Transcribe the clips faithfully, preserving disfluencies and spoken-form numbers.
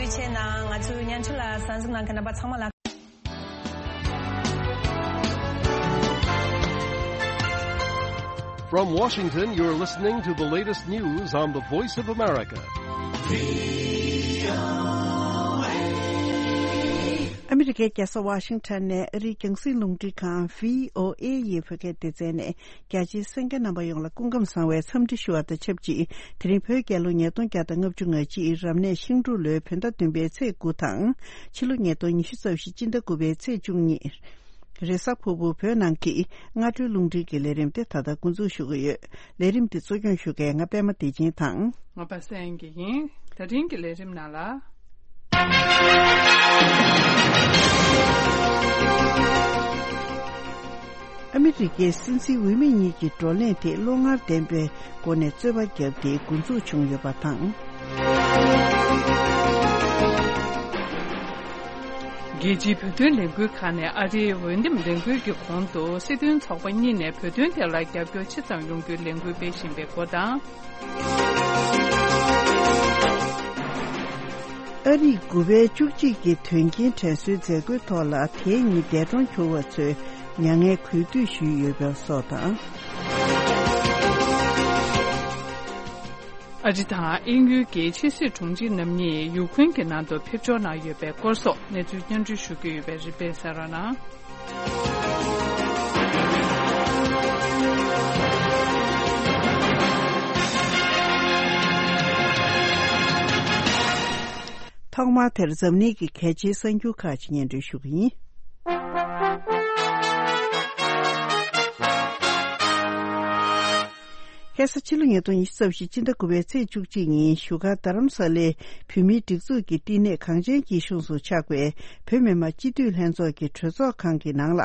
ཆེ་ན་ང་ཚོའི་བརྙན་འཕྲིན་ལ་གསན་གཟིགས་གནང་མཁན་རྣམ་པ་ཚང་མ་ལ། From Washington, you're listening to the latest news on the Voice of America. ཨ་མི་རི་ཀའི་རྒྱལ་ས་ཝ་ཤིང་ཊོན་ནས་ཨ་རིའི་རྒྱང་སྲིང་རླུང་འཕྲིན་ཁང་བྷི་ཨོ་ཨེ་ཡི་བོད་སྐད་སྡེ་ཚན་ནས། རྒྱ་ཆེའི་གསན་མཁན་རྣམ་པ་ཡོངས་ལ་སྐུ་ཁམས་བཟང་བའི་འཚམས་འདྲི་ཞུ་བ་དང་ཆབས་ཅིག་དེ་རིང་བོད་རྒྱལ་ལོ་ཉིས་སྟོང་བརྒྱ་དང་ལྔ་བཅུ་ང་གཅིག་རབ་གནས་ཤིང་འབྲུག་ལོའི་བོད་ཟླ་བདུན་པའི་ཚེས་དགུ་དང་། ཕྱི་ལོ་ཉིས་སྟོང་ཉི་ཤུ་རྩ་བཞི་སྤྱི་ཟླ་དགུ་པའི་ཚེས་བཅུ་གཉིས། རེས་གཟའ་ཕུར་བུ་བོད་ནང་གི་སྔ་དྲོའི་རླུང་འཕྲིན་གྱི་ལས་རིམ་དེ་ད་ལྟ་འགོ་འཛུགས་ཞུ་གི་ཡོད། ལས་རིམ་དེ་གཙོ་སྐྱོང་ཞུ་མཁན་ང་པད་མ་བདེ་ཆེན་དང་། ང་པ་སངས་སྐྱིད་ཡིན། ད་རིང་གི་ལས་རིམ་ནང་ལ། ཨ་མི་རི་ཀའི་སྲིད་འཛིན་འོས་མི་གཉིས་ཀྱི་བགྲོ་གླེང་དེ་བློ་ངར་ལྡན་པའི་སྒོ་ནས་རྩོད་པ་བརྒྱབ་སྟེ་འགོ་འཛུགས་བྱུང་ཡོད་པ་དང་། རྒྱལ་སྤྱིའི་བོད་དོན་ལས་འགུལ་ཁག་ནས་ཨ་རིའི་འོས་འདེམས་ལས་འགུལ་གྱི་གོང་དུ་སྲིད་དོན་ཚོགས་པ་གཉིས་ནས་བོད་དོན་ཐད་ལ་རྒྱབ་སྐྱོར་ཆེ་ཙམ་ཡོང་རྒྱུའི་ལས་འགུལ་སྤེལ་བཞིན་པའི་སྐོར་དང་། ཨ་རིས་དགུ་པའི་བཅུ་གཅིག་གི་དོན་རྐྱེན་དྲན་གསོའི་མཛད་སྒོའི་ཐོག་ལ། དེ་ཉིན་འདས་གྲོངས་གྱུར་བ་ཚོའི་མྱ་ངན་གུས་འདུད་ཞུས་ཡོད་པ་སོགས་དང་། ཨ་རི་དང་དབྱིན་ཡུལ་གྱི་ཕྱི་སྲིད་དྲུང་ཆེ་རྣམ་གཉིས་ཡུ་ཁུན་གྱི་ནང་དུ་ཕེབས་འབྱོར་གནང་ཡོད་པའི་སྐོར་སོགས་གནས་ཚུལ་སྙན་སྒྲོན་ཞུ་རྒྱུ་ཡོད་པས་རིམ་པས་གསན་རོགས་གནང་། ཐོག་མར་དེར་འཛམ་གླིང་གི་གལ་ཆེའི་གསར་འགྱུར་ཁག་ཅིག་སྙན་སྒྲོན་ཞུ་གི་ཡིན། ཁ་སང་ཕྱི་ལོ་ཉིས་སྟོང་ཉི་ཤུ་རྩ་བཞི་སྤྱི་ཟླ་དགུ་པའི་ཚེས་བཅུ་གཅིག་ཉིན་བཞུགས་སྒར་རྡ་རམ་ས་ལའི་བོད་མིའི་སྒྲིག་འཛུགས་ཀྱི་བསྟི་གནས་གངས་ཅན་སྐྱིད་གཤོངས་སུ་ཆགས་པའི་བོད་མི་མང་སྤྱི་འཐུས་ལྷན་ཚོགས་ཀྱི་གྲོས་ཚོགས་ཁང་གི་ནང་ལ་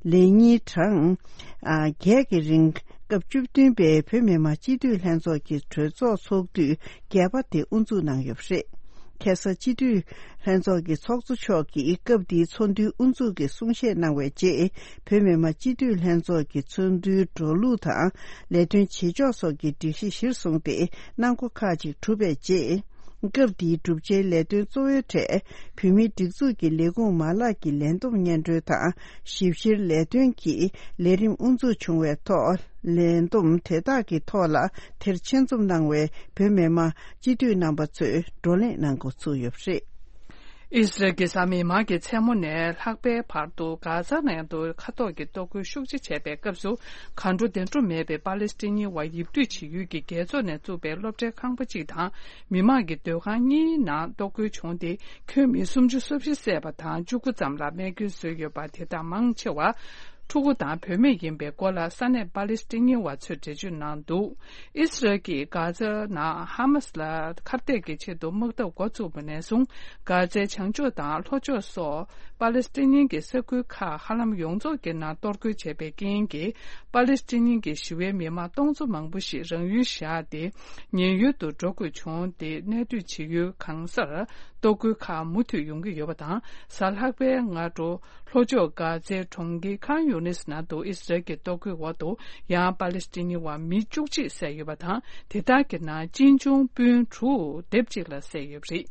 ལས་ཉིན་གྲངས་ཨ་བརྒྱད་ཀྱི་རིང་སྐབས་བཅུ་བདུན་པའི་བོད་མི་མང་སྤྱི་འཐུས་ལྷན་ཚོགས་ཀྱི་གྲོས་ཚོགས་ཚོགས་དུས་བརྒྱད་པ་དེ་དབུ་འཛུགས་གནང་ཡོད་པ་རེད། ཁ་སང་སྤྱི་འཐུས་ལྷན་ཚོགས་ཀྱི་ཚོགས་གཙོ་མཆོག་གིས་སྐབས་འདིའི་ཚོགས་འདུའི་དབུ་འཛུགས་ཀྱི་གསུང་བཤད་གནང་བའི་རྗེས། བོད་མི་མང་སྤྱི་འཐུས་ལྷན་ཚོགས་ཀྱི་ཚོགས་འདུའི་འགྲོ་ལུགས་དང་ལས་དོན་བྱེད་ཕྱོགས་སོགས་ཀྱི་སྒྲིག་གཞི་གཞིར་བཟུང་སྟེ་གནང་སྒོ་ཁག་ཅིག་གྲུབ་པའི་རྗེས། སྐབས་འདིའི་གྲུབ་ཆའི་ལས་དོན་གཙོ་བོའི་གྲས་བོད་མིའི་སྒྲིག་འཛུགས་ཀྱི་ལས་ཁུངས་མ་ལག་གི་ལས་བསྡོམས་སྙན་སྒྲོན་དང་། ཞིབ་བཤེར་ལས་དོན་གྱི་ལས་རིམ་དབུ་འཛུགས་བྱུང་བའི་ཐོག་ལས་བསྡོམས་དེ་དག་གི་ཐོག་ལ་དེར་ཆེད་འཛོམས་གནང་བའི་བོད་མི་མང་སྤྱི་འཐུས་རྣམ་པ་ཚོས་བགྲོ་གླེང་གནང་འགོ་ཚུགས་ཡོད་པ་རེད། ཨི་སི་རལ་གྱིས་གཟའ་མིག་དམར་གྱི་མཚན་མོ་ནས་ལྷག་པའི་བར་དུ་གྷ་ཛ་ནང་དུ་མཁའ་ཐོག་གི་གཏོར་རྒོལ་ཤུགས་ཆེ་བྱས་པའི་སྐབས་སུ། གང་འགྲོ་བདེ་འགྲོ་མེད་པའི་པ་ལེ་སི་ཐན་བར་ཡིབ་དུས་བྱེད་ཡུལ་གྱི་རྒྱལ་ཚོགས་ནས་བཙུགས་པའི་སློབ་གྲྭའི་ཁང་པ་གཅིག་དང་། མི་མང་གི་སྡོད་ཁང་གཉིས་ནང་གཏོར་རྒོལ་བྱུང་སྟེ། ཁྱོན་མི་སུམ་ཅུ་སོ་བཞི་བསད་པ་དང་བཅུ་དགུ་ཙམ་ལ་རྨས་སྐྱོན་བཟོས་ཡོད་པ། དེ་དག་མང་ཆེ་བ་ཕྲུ་གུ་དང་བུད་མེད་ཡིན་པའི་སྐོར་ལ་ས་གནས་པ་ལེ་སི་ཐན་བ་ཚོས་འགྲེལ་བརྗོད་གནང་འདུག་ཨི་སི་རལ་གྱིས་གྷ་ཛ་ནང་ཧ་མ་སི་ལ་ཁ་གཏད་ཀྱི་ཆེད་དུ་དམག་འཐབ་འགོ་བཙུགས་པ་ནས་བཟུང་། གྷ་ཛའི་བྱང་ཕྱོགས་དང་ལྷོ་ཕྱོགས་སོགས་པ་ལེ་སི་ཐན་གྱི་ས་ཁུལ་ཁག་ཧ་ལམ་ཡོངས་རྫོགས་ཀྱི་ནང་གཏོར་རྒོལ་བྱས་པའི་རྐྱེན་གྱིས། པ་ལེ་སི་ཐན་གྱི་ཞི་བའི་མི་མང་སྟོང་ཚོ་མང་པོ་ཞིག་རང་ཡུལ་བཞག་སྟེ། ཉེན་གཡུལ་དུ་འགྲོ་དགོས་བྱུང་སྟེ། གནས་སྡོད་བྱེད་ཡུལ་གང་སར་གཏོར་རྒོལ་ཁག་མུ་མཐུད་ཡོང་གི་ཡོད་པ་དང་། གཟའ་ལྷག་པའི་སྔ་དྲོ། ལྷོ་ཕྱོགས་གྷ་ཛའི་གྲོང་ཁྱེར་ཁཱན་ཡུ་ནིས་ནང་དུ་ཨི་སི་རལ་གྱི་གཏོར་རྒོལ་འོག་ཏུ་ཡང་པ་ལེ་སི་ཐན་བ་མི་བཅུ་གཅིག་བསད་ཡོད་པ་དང་། དེ་དག་གི་ནང་གཅེན་གཅུང་སྤུན་དྲུག་སྡེབ་གཅིག་ལ་བསད་ཡོད་པ་རེད།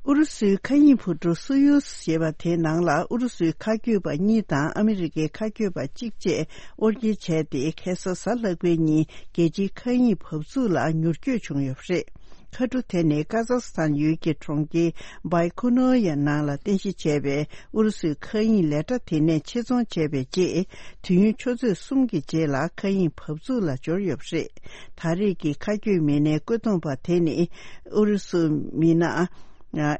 ཨུ་རུ་སུའི་མཁའ་དབྱིངས་འཕུར་གྲུ་སུ་ཡུ་ཟེར་བ་དེའི་ནང་ལ་ཨུ་རུ་སུའི་མཁའ་སྐྱོད་པ་གཉིས་དང་ཨ་མི་རི་ཀའི་མཁའ་སྐྱོད་པ་གཅིག་བཅས་དབོར་འགྱེལ་བྱས་ཏེ། ཁ་སང་གཟའ་ལྷག་པའི་ཉིན་རྒྱལ་སྤྱིའི་མཁའ་དབྱིངས་བབས་ཚུགས་ལ་མྱུར་སྐྱོད་བྱུང་ཡོད་པ་རེད། མཁའ་གྲུ་དེ་ནི་ཀ་ཛག་སི་ཐན་ཡུལ་གྱི་གྲོང་ཁྱེར་བྷའི་ཁུ་ནོ་ཡ་ནང་ལ་རྟེན་གཞི་བྱས་པའི་ཨུ་རུ་སུའི་མཁའ་དབྱིངས་ལས་གྲྭ་དེ་ནས་ཆེད་རྫོང་བྱས་པའི་རྗེས། དུས་ཡུན་ཆུ་ཚོད་གསུམ་གྱི་རྗེས་ལ་མཁའ་དབྱིངས་བབས་ཚུགས་ལ་འབྱོར་ཡོད་པ་རེད། ད་རེས་ཀྱི་མཁའ་སྐྱོད་མི་སྣའི་བཀོད་འདོམས་པ་དེ་ནི་ཨུ་རུ་སུ་མི་སྣ་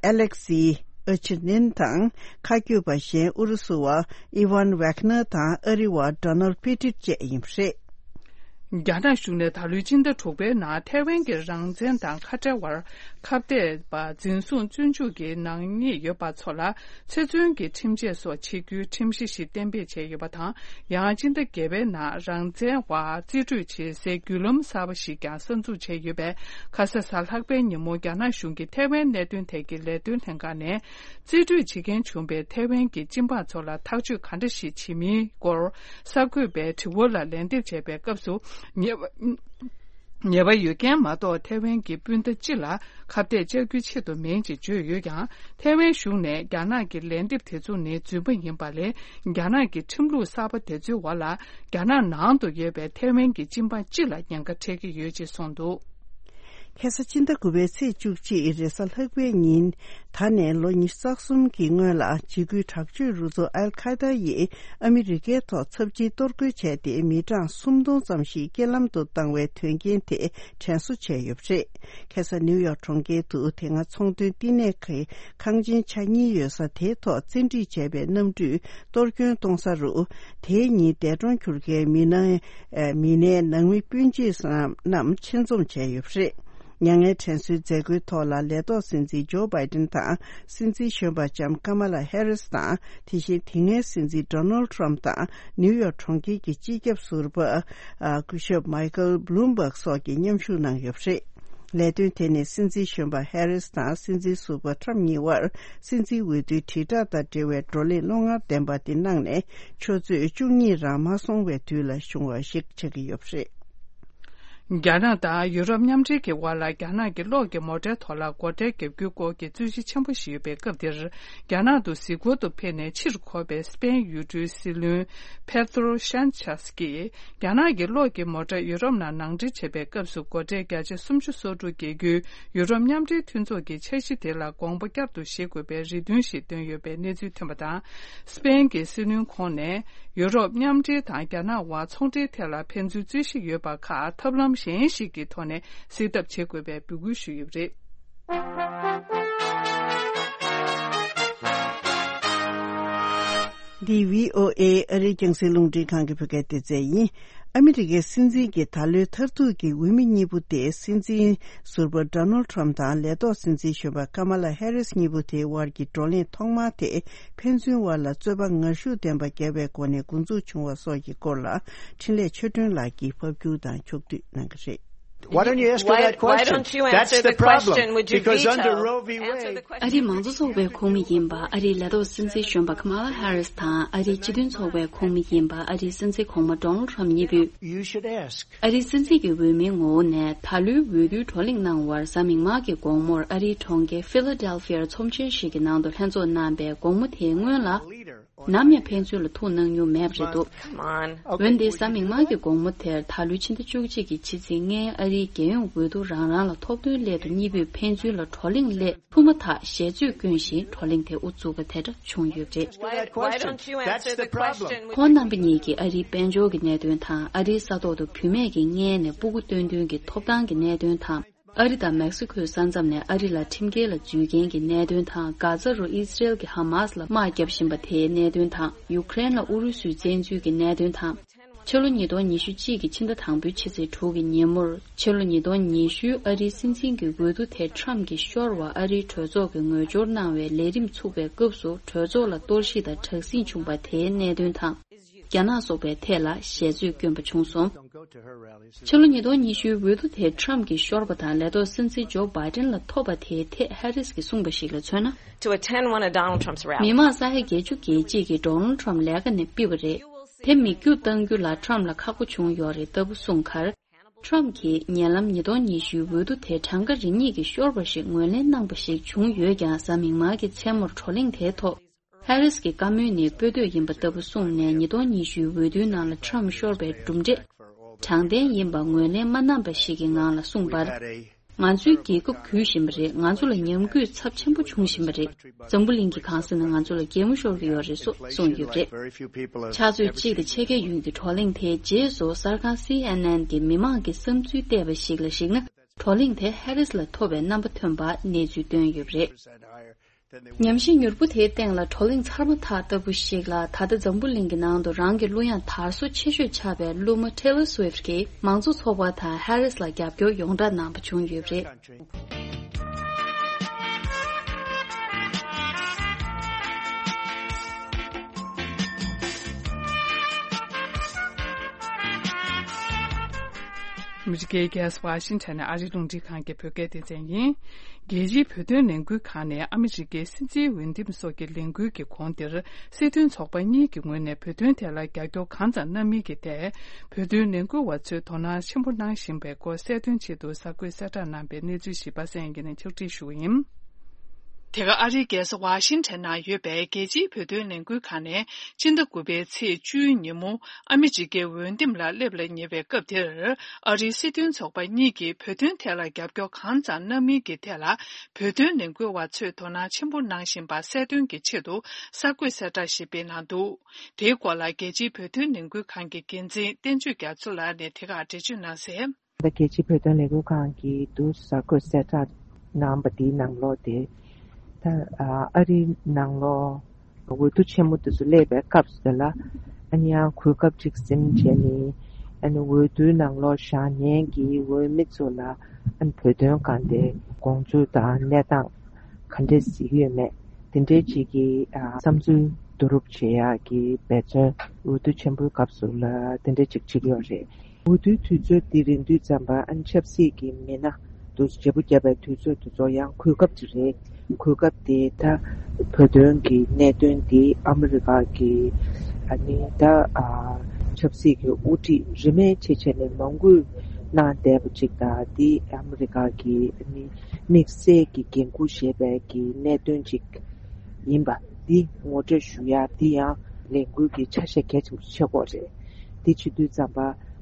ཨ་ལེག་སི་ཨ་ཆི་ནིན་དང་། མཁའ་སྐྱོད་པ་གཞན་ཨུ་རུ་སུ་བ་ཨི་ཝན་ཝེག་ནར་དང་ཨ་རི་བ་ཌོ་ནལ་པི་ཏིད་བཅས་ཡིན་པ་རེད། རྒྱ་ནག་གཞུང་ནས་ད་ལོའི་སྤྱི་ཟླ་དྲུག་པའི་ནང་ཐའེ་ཝན་གྱི་རང་བཙན་དང་ཁ་བྲལ་བར་ཁ་གཏད་པ་འཛིན་བཟུང་བཙོན་འཇུག་གི་ནག་ཉེས་ཡོད་པ་ཚོ་ལ་ཚེ་བཙོན་གྱི་ཁྲིམས་ཆད་སོགས་བྱེད་རྒྱུའི་ཁྲིམས་གཞི་ཞིག་གཏན་འབེབས་བྱས་ཡོད་པ་དང་། ཡང་སྤྱི་ཟླ་བརྒྱད་པའི་ནང་རང་བཙན་བར་རྩིས་སྤྲོད་བྱེད་སའི་བརྒྱུད་ལམ་གསར་པ་ཞིག་ཀྱང་གསར་འཛུགས་བྱས་ཡོད་པས། ཁ་ས་གཟའ་ལྷག་པའི་ཉིན་མོ་རྒྱ་ནག་གཞུང་གིས་ཐའེ་ཝན་གནད་དོན་ཐད་ཀྱི་ལས་དོན་ལྷན་ཁང་ནས། རྩིས་སྤྲོད་བྱེད་མཁན་བྱུང་བའི་ཐའེ་ཝན་གྱི་སྤྱི་འབངས་ཚོ་ལ་ཐག་གཅོད་ག་འདྲ་ཞིག་བྱེད་མིན་སྐོར་གསར་འགོད་པའི་དྲི་བ་ལ་ལན་འདེབས་བྱས་པའི་སྐབས་སུ། ཉེ་བ་ ཉེས་པ་ཡོད་མཁན་མ་གཏོགས་ཐའེ་ཝན་གྱི་སྤུན་ཟླ་སྤྱི་ལ་ཁ་གཏད་བཅག་རྒྱུའི་ཆེད་དུ་མིན་ཅེས་བརྗོད་ཡོད་ཀྱང་། ཐའེ་ཝན་གཞུང་ནས་རྒྱ་ནག་གི་ལན་འདེབས་དེ་ཚོ་ནི་རྫུན་མ་ཡིན་པ་ལས། རྒྱ་ནག་གི་ཁྲིམས་ལུགས་གསར་པ་དེ་ཚོའི་འོག་ལ་རྒྱ་ནག་ནང་དུ་ཡོད་པའི་ཐའེ་ཝན་གྱི་སྤྱི་འབངས་སྤྱི་ལ་ཉེན་ཁ་འཕྲད་ཀྱི་ཡོད་ཅེས་གསུངས་འདུག། ཁ་སང་ཕྱི་ཟླ་དགུ་པའི་ཚེས་བཅུ་གཅིག་རེས་གཟའ་ལྷག་པའི་ཉིན། ད་ནས་ལོ་ཉི་ཤུ་རྩ་གསུམ་གྱི་སྔོན་ལ། འཇིགས་སྐུལ་དྲག་སྤྱོད་རུ་ཚོགས་ཨལ་ཁ་ཡེ་ཏཱ་ཡིས་ཨ་མི་རི་ཀའི་ཐོག་ཚབས་ཆེའི་གཏོར་རྒོལ་བྱས་ཏེ། མི་གྲངས་སུམ་སྟོང་ཙམ་ཞིག་རྐྱེན་ལམ་དུ་བཏང་བའི་དོན་རྐྱེན་དེ་དྲན་གསོ་བྱས་ཡོད་པ་རེད། ཁ་སང་ནིའུ་ཡོག་གྲོང་ཁྱེར་དུ་དེ་སྔ་ཚོང་དོན་བསྟི་གནས་ཀྱི་ཁང་ཆེན་ཆ་གཉིས་ཡོད་ས་དེའི་ཐོག་བཙན་ཁྲིད་བྱས་པའི་གནམ་གྲུས་གཏོར་སྐྱོན་གཏོང་ས་རུ། དེའི་ཉིན་འདས་གྲོངས་གྱུར་མཁན་མི་ནང་། ཨ། མི་སྣའི་ནང་མི་སྤུན་མཆེད་རྣམས་ཆེད་འཛོམས་བྱས་ཡོད་པ་རེད། མྱ་ངན་དྲན་གསོའི་མཛད་སྒོའི་ཐོག་ལ། ལས་ཐོག་སྲིད་འཛིན་ཇོ་བྷའི་ཏིན་དང་། སྲིད་འཛིན་གཞོན་པ་ལྕམ་ཀ་མ་ལ་ཧེ་རིས་དང་། དེ་བཞིན་དེ་སྔའི་སྲིད་འཛིན་ཌོ་ནལ་ཊམ་དང་། ནིའུ་ཡོག་གྲོང་ཁྱེར་གྱི་སྤྱི་ཁྱབ་ཟུར་པ། ཨ། སྐུ་ཞབས་མའི་ཁལ་བྷ་ལུམ་བྷག་སོགས་ཀྱིས་མཉམ་ཞུགས་གནང་ཡོད་པ་རེད། ལས་དོན་དེ་ནི་སྲིད་འཛིན་གཞོན་པ་ཧེ་རིས་དང་སྲིད་འཛིན་ཟུར་པ་ཊམ་གཉིས་དབར་སྲིད་འཛིན་འོས་བསྡུའི་དྲིལ་བསྒྲགས་དང་འབྲེལ་བའི་བགྲོ་གླེང་བློ་ངར་ལྡན་པ་དེ་གནང་ནས། ཆུ་ཚོད་བཅུ་གཉིས་རང་མ་སོང་བའི་དུས་ལ་བྱུང་བ་ཞིག་ཆགས་ཀྱི་ཡོད་པ་རེད། རྒྱ་ནག་དང་ཡུ་རོབ་མཉམ་འབྲེལ་གྱི་དབར་ལ་རྒྱ་ནག་གི་གློག་གི་མོ་ཊའི་ཐོག་ལ་སྒོ་ཁྲལ་བརྒྱབ་རྒྱུའི་སྐོར་གྱི་རྩོད་གཞི་ཆེན་པོ་ཞིག་ཡོད་པའི་སྐབས་འདིར། རྒྱ་ནག་ཏུ་གཟིགས་སྐོར་དུ་ཕེབས་ནས་ཕྱིར་འཁོར་བའི་སི་པེན་ཡུལ་གྲུའི་སྲིད་བློན་པེ་ཏྲོ་ཤན་ཆེས་ཀྱིས། རྒྱ་ནག་གི་གློག་གི་མོ་ཊ་ཡུ་རོབ་ནང་ནང་འདྲེན་བྱེད་པའི་སྐབས་སུ་སྒོ་ཁྲལ་བརྒྱ་ཆ་སུམ་ཅུ་སོ་དྲུག་འགེལ་རྒྱུའི་ཡུ་རོབ་མཉམ་འབྲེལ་མཐུན་ཚོགས་ཀྱི་འཆར་གཞི་དེ་ལ་དགོངས་པ་བསྐྱར་དུ་བཞེས་དགོས་པའི་རེ་འདུན་ཞིག་བཏོན་ཡོད་པའི་གནས་ཚུལ་ཐོན་པ་དང་། སི་པེན་གྱི་སྲིད་བློན་ཁོང་ནས་ཡུ་རོབ་མཉམ་འབྲེལ་དང་རྒྱ་ནག་དབར་ཚོང་འབྲེལ་ཐད་ལ་ཕན་ཚུན་རྩོད་གཞི་ཡོད་པ་ཁག་ཐབས་ལམ་གཞན་ཞིག་གི་ཐོག་ནས་སེལ་ཐབས་བྱེད་དགོས་པའི་འབོད་སྐུལ་ཞུས་ཡོད་པ་རེད། འདི་བྷི་ཨོ་ཨེ་ཨ་རིའི་རྒྱང་སྲིང་རླུང་འཕྲིན་ཁང་གི་བོད་སྐད་སྡེ་ཚན་ཡིན། ཨ་མི་རི་ཀའི་སྲིད་འཛིན་གྱི་ད་ལོའི་མཐར་ཐུག་གི་འོས་མི་གཉིས་པོ་དེ། སྲིད་འཛིན་ཟུར་པ་ཌོ་ནལ་ཊམ་དང་ལས་ཐོག་སྲིད་འཛིན་གཞོན་པ་ཀ་མ་ལ་ཧེ་རིས་གཉིས་པོ་དེའི་དབར་གྱི་བགྲོ་གླེང་ཐོག་མ་དེ། ཕན་ཚུན་དབར་ལ་རྩོད་པ་ངར་ཤུགས་ལྡན་པ་བརྒྱབ་པའི་སྒོ་ནས་འགོ་འཛུགས་བྱུང་བ་སོགས་ཀྱི་སྐོར་ལ། འཕྲིན་ལས་ཆོས་སྒྲོན་ལགས་ཀྱིས་ཕབ་སྒྱུར་དང་ཕྱོགས་བསྡུས་གནང་གི་རེད། Why don't you ask her that question? That's the problem. Because under Roe v. Wade, ཨ་རིའི་མང་གཙོ་ཚོགས་པའི་ཁོངས་མི་ཡིན་པ་ཨ་རིའི་ལས་ཐོག་སྲིད་འཛིན་གཞོན་པ་ཀ་མ་ལ་ཧེ་རིས་དང་། ཨ་རིའི་སྤྱི་མཐུན་ཚོགས་པའི་ཁོངས་མི་ཡིན་པ་ཨ་རིའི་སྲིད་འཛིན་གོང་མ་ཌོ་ནལ་ཊམ་གཉིས་པོས། You should ask. ཨ་རིའི་སྲིད་འཛིན་གྱི་འོས་མིའི་ངོ་བོ་ནས་ད་ལོའི་འོས་བསྡུའི་བགྲོ་གླེང་གནང་བར་གཟའ་མིག་དམར་གྱི་དགོང་མོར་ཨ་རིའི་གྲོང་ཁྱེར་ཕི་ལ་ཌེལ་ཕི་ཡར་ཚོམས་ཆེན་ཞིག་གི་ནང་དུ་ལྷན་ཚོགས་གནང་པའི་དགོང་མོ་དེའི་སྔོན་ལ། ནམ་ཡང་ཕན་ཚུན་ལ་ཐུག་གནང་མྱོང་མེད་པ་རེད་འདུག། འོན་ཏེ་གཟའ་མིག་དམར་གྱི་དགོང་མོ་དེར་ད་ལོའི་ཕྱི་ཟླ་བཅུ་གཅིག་གི་ཕྱི་ཚེས་ལྔའི་ཨ་རིའི་རྒྱལ་ཡོངས་འོས་བསྡུ་རང་རང་ལ་ཐོབ་ཐོའི་སླད་དུ་གཉིས་པོས་ཕན་ཚུན་ལ་བགྲོ་གླེང་སླད་ཐུག་མ་ཐག་ཞལ་རྩོད་བསྐྱོན་བཞིན་བགྲོ་གླེང་དེ་དབུ་བཙུགས་པ་དེ་འདྲ་བྱུང་ཡོད་པ་རེད། That's the problem. ཁོང་རྣམ་པ་གཉིས་ཀྱིས་ཨ་རིའི་དཔལ་འབྱོར་གྱི་གནད་དོན་དང་། ཨ་རིའི་ས་ཐོག་ཏུ་བུད་མེད་ཀྱི་མངལ་ནས་སྤུ་གུ་བཏོན་དོན་གྱི་ཐོབ་ཐང་གི་གནད་དོན་དང་། ཨ་རི་དང་མེག་སི་ཁོའི་ས་མཚམས་ནས་ཨ་རི་ལ་ཁྲིམས་འགལ་ལ་འཛུལ་མཁན་གྱི་གནད་དོན་དང་། གྷ་ཛ་རུ་ཨི་སི་རེལ་གྱིས་ཧ་མ་སི་ལ་དམག་བརྒྱབ་བཞིན་པ་དེའི་གནད་དོན་དང་། ཡུ་ཀེ་རེན་ལ་ཨུ་རུ་སུའི་བཙན་འཛུལ་གྱི་གནད་དོན་དང་། ཕྱི་ལོ་ཉིས་སྟོང་ཉི་ཤུ་གཅིག་གི་ཕྱི་ཟླ་དང་པོའི་ཕྱི་ཚེས་དྲུག་གི་ཉིན་མོར། ཕྱི་ལོ་ཉིས་སྟོང་ཉི་ཤུའི་ཨ་རིའི་སྲིད་འཛིན་གྱི་འོས་བསྡུ་དེ་ཊམ་གྱིས་ཤོར་བར་ཨ་རིའི་གྲོས་ཚོགས་ཀྱིས་ངོ་སྦྱོར་གནང་བའི་ལས་རིམ་ཚུགས་པའི་སྐབས་སུ། གྲོས་ཚོགས་ལ་གཏོར་བཤིག་དང་དྲག་ཟིང་བྱུང་བ་དེའི་གནད་དོན་དང་། རྒྱ་ནག་སོགས་པའི་ཐད་ལ་ཞལ་རྩོད་བསྐྱོན་པ་བྱུང་སོང་། ཕྱི་ལོ་ཉིས་སྟོང་ཉི་ཤུའི་འོས་བསྡུ་དེ་ཊམ་གྱིས་ཤོར་བ་དང་། ལས་ཐོག་སྲིད་འཛིན་ཇོ་བྷའི་ཌེན་ལ་ཐོབ་པ་དེའི་ཐད་ཧེ་རིས་ཀྱིས་གསུངས་པ་ཞིག་ལ་མཚོན་ན། To attend one of Donald Trump's rallies. མི་མང་ས་ཡ་བརྒྱད་ཅུ་གྱ་གཅིག་གིས་ཌོ་ནལ་ཊམ་ལས་ཀ་ནས་ཕུད་པ་རེད། དེ་མིག་རྒྱུག་གཏང་རྒྱུ་ལ་ཊམ་ལ་ཁག་པོ་བྱུང་ཡོད་རེད་ལྟ་བུ་གསུངས་ཁར། ཊམ་གྱིས་ཉེ་ལམ་ཉིས་སྟོང་ཉི་ཤུའི་འོས་བསྡུ་དེ་གྲངས་ཀ་རེ་གཉིས་ཀྱིས་ཤོར་བ་ཞིག་ངོས་ལེན་གནང་པ་ཞིག་བྱུང་ཡོད་ཀྱང་། གཟའ་མིག་དམར་གྱི་མཚན་མོར་བགྲོ་གླེང་དེའི་ཐོག་ཧེ་རིས་ཀྱི་བཀའ་མོལ་ནི་སྤོས་དོད་ཡིན་པ་ལྟ་བུ་གསུངས་ནས། ཉིས་སྟོང་ཉི་ཤུའི་འོས་བསྡུའི་ནང་ལ་ཊམ་ཤོར་བའི་གྲུབ་འབྲས་དྲང་བདེན་ཡིན་པ་ངོས་ལེན་མ་གནང་པ་ཞིག་གི་ངང་ལ་གསུངས་པར། ང་ཚོའི་རྒྱལ་ཁབ་གུད་བཞིན་པ་རེད། ང་ཚོ་ལ་ཉམས་རྒུད་ཚབས་ཆེན་པོ་བྱུང་བཞིན་པ་རེད། འཛམ་བུ་གླིང་གི་གང་ས་ནས་ང་ཚོ་ལ་གད་མོ་ཤོར་གྱི་ཡོད་རེད་སོགས་གསུངས་ཡོད་པ་རེད། ཕྱག་ཚོད་གཅིག་དང་ཕྱེད་ཀའི་ཡུན་གྱི་བགྲོ་གླེང་དེའི་རྗེས་སུ། གསར་ཁང་སི་ཨེན་ཨེན་གྱིས་མི་མང་གི་བསམ་ཚུལ་བལྟས་པ་ཞིག་ལ་གཞིགས་ན། བགྲོ་གླེང་དེ་ཧེ་རིས་ལ་ཐོབ་པའི་རྣམ་པ་ཐོན་པ་གནས་ཚུལ་བཏོན་ཡོད་པ་རེད། ཉམས་ཞིབ་མྱུར་པོ་དེའི་སྟེང་ལ། བགྲོ་གླེང་ཚར་མ་ཐག་ལྟ་བུ་ཞིག་ལ། ད་ལྟ་འཛམ་བུ་གླིང་གི་ནང་དུ་རང་གི་གླུ་དབྱངས་དར་སོ་ཆེ་ཤོས་ཆགས་པའི་གླུ་མ་Taylor Swift གྱིས་མང་གཙོ་ཚོགས་པ་དང་ཧེ་རིས་ལ་རྒྱབ་སྐྱོར་ཡོངས་གྲགས་གནང་པ་བྱུང་ཡོད་པ་རེད། ཨ་མི་རི་ཀའི་རྒྱལ་ས་ཝ་ཤིང་ཊོན་ནས་ཨ་རིའི་རླུང་འཕྲིན་ཁང་གི་བོད་སྐད་སྡེ་ཚན་ཡིན། རྒྱལ་སྤྱིའི་བོད་དོན་ལས་འགུལ་ཁང་ནས་ཨ་མི་རི་ཀའི་སྲིད་འཛིན་འོས་འདེམས་སོགས་ཀྱི་ལས་འགུལ་གྱི་གོང་དེར། སྲིད་དོན་ཚོགས་པ་གཉིས་ཀྱི་ངོས་ནས་བོད་དོན་ཐད་ལ་རྒྱབ་སྐྱོར་གང་ཙམ་གནང་མིན་གྱི་ཐད། བོད་དོན་ལས་འགུལ་བ་ཚོས་དོ་སྣང་ཆེན་པོ་གནང་བཞིན་པའི་སྐོར་གསལ་སྟོན་ཆེད་དུ་གསར་འགོད་གསལ་བསྒྲགས་གནང་པའི་གནས་ཚུལ་ཞིག་པ་སངས་དབྱངས་སྐྱིད་ནས་ཕྱོགས་སྒྲིག་ཞུ་བ་ཡིན། དེ་ག་ཨ་རིའི་རྒྱལ་ས་ཝ་ཤིང་ཊོན་ནང་ཡོད་པའི་རྒྱལ་སྤྱིའི་བོད་དོན་ལས་འགུལ་ཁང་ནས་སྤྱི་ཟླ་དགུ་པའི་ཚེས་བཅུའི་ཉིན་མོ་ཨ་མི་རི་ཀའི་འོས་འདེམས་ལ་སླེབས་ལ་ཉེ་བའི་སྐབས་དེར། ཨ་རིའི་སྲིད་དོན་ཚོགས་པ་གཉིས་ཀྱིས་བོད་དོན་ཐད་ལ་རྒྱབ་སྐྱོར་གང་ཙམ་གནང་མིན་གྱི་ཐད་ལ། བོད་དོན་ལས་འགུལ་བ་ཚོས་དོ་སྣང་ཆེན་པོ་གནང་བཞིན་པ་གསལ་སྟོན་གྱི་ཆེད་དུ་གསར་འགོད་གསལ་བསྒྲགས་ཤིག་སྤེལ་གནང་འདུག་དེའི་སྐོར་ལ་རྒྱལ་སྤྱིའི་བོད་དོན་ལས་འགུལ་ཁང་གི་འགན་འཛིན་བསྟན་ཆོས་རྒྱ་མཚོ་ལགས་ནས་དེ་གར་འགྲེལ་བརྗོད་གནང་གསལ། ད་རྒྱལ་སྤྱིའི་བོད་དོན་ལས་འགུལ་ཁང་གིས་དུ་གསར་འགོད་གསལ་བསྒྲགས་གནང་པ་དེའི་ནང་ལོགས་དེ། ད་ཨ་རིའི་ནང་ལོགས་འོས་བསྡུ་ཆེན་མོ་དེ་ཚོ་སླེབས་པའི་སྐབས་སུ་དེ་ལ། ཨ་ནི་ཡང་གོ་སྐབས་ཅིག་ཟིན་བྱས་ནས། ཨ་ནི་འོས་བསྡུའི་ནང་ལོགས་བཞེངས་མཁན་གྱི་འོས་མི་ཚོ་ལ། ཨ་ནི་བོད་དོན་སྒང་དེ་དགོངས་ཚུལ་དང་གནས་སྟངས་ག་འདྲས་གཟིགས་ཡོད་མེད། དེ་འདྲའི་ཅིག་གི་ཨ་བསམ་ཚུལ་བསྡུ་རུབ་བྱེད་ཡག་གི་འབད་བརྩོན་འོས་བསྡུ་ཆེན་པོའི་སྐབས་སུ་ལ་དེ་འདྲའི་ཅིག་བྱེད་ཀྱི་ཡོད་རེད། འོས་བསྡུའི་དུས་ཚོད་འདི་རན་དུས་ཙམ་པ་ཨ་ནི་ཆབ་སྲིད་ཀྱི་མི་སྣ་དུ་བརྗེ་པོ་བརྒྱབ་པའི་དུས་ཚོད་དེ་ཚོ་ཡང་གོ་སྐབས་ཅིག་རེད། གོ་སྐབས་དེ་ད་བོད་དོན་གྱི་གནད་དོན་འདི་ཨ་མི་རི་ཀ་གི་ཨ་ནི་ད་ཨ་ཆབ་སྲིད་ཀྱི་དབུ་ཁྲིད་རིས་མེད་ཆེ་ཆེ་ནས་མང་པོས་གནང་བསྡད་པ་ཅིག་དང་། འདི་ཨ་མི་རི་ཀ་གི་ཨ་ནི་དམིགས་བསལ་གྱི་འགན་འཁུར་བཞེས་པའི་གི་གནད་དོན་ཅིག་ཡིན་པ་འདི་ངོ་སྤྲོད་ཞུ་ཡ། འདི་ཡང་ལས་འགུལ་གྱི་ཆ་ཤས་གལ་ཆེན་པོ་ཆགས་ཀྱི་ཡོད་རེད། འདི་བྱེད་དུས་ཙམ་པ་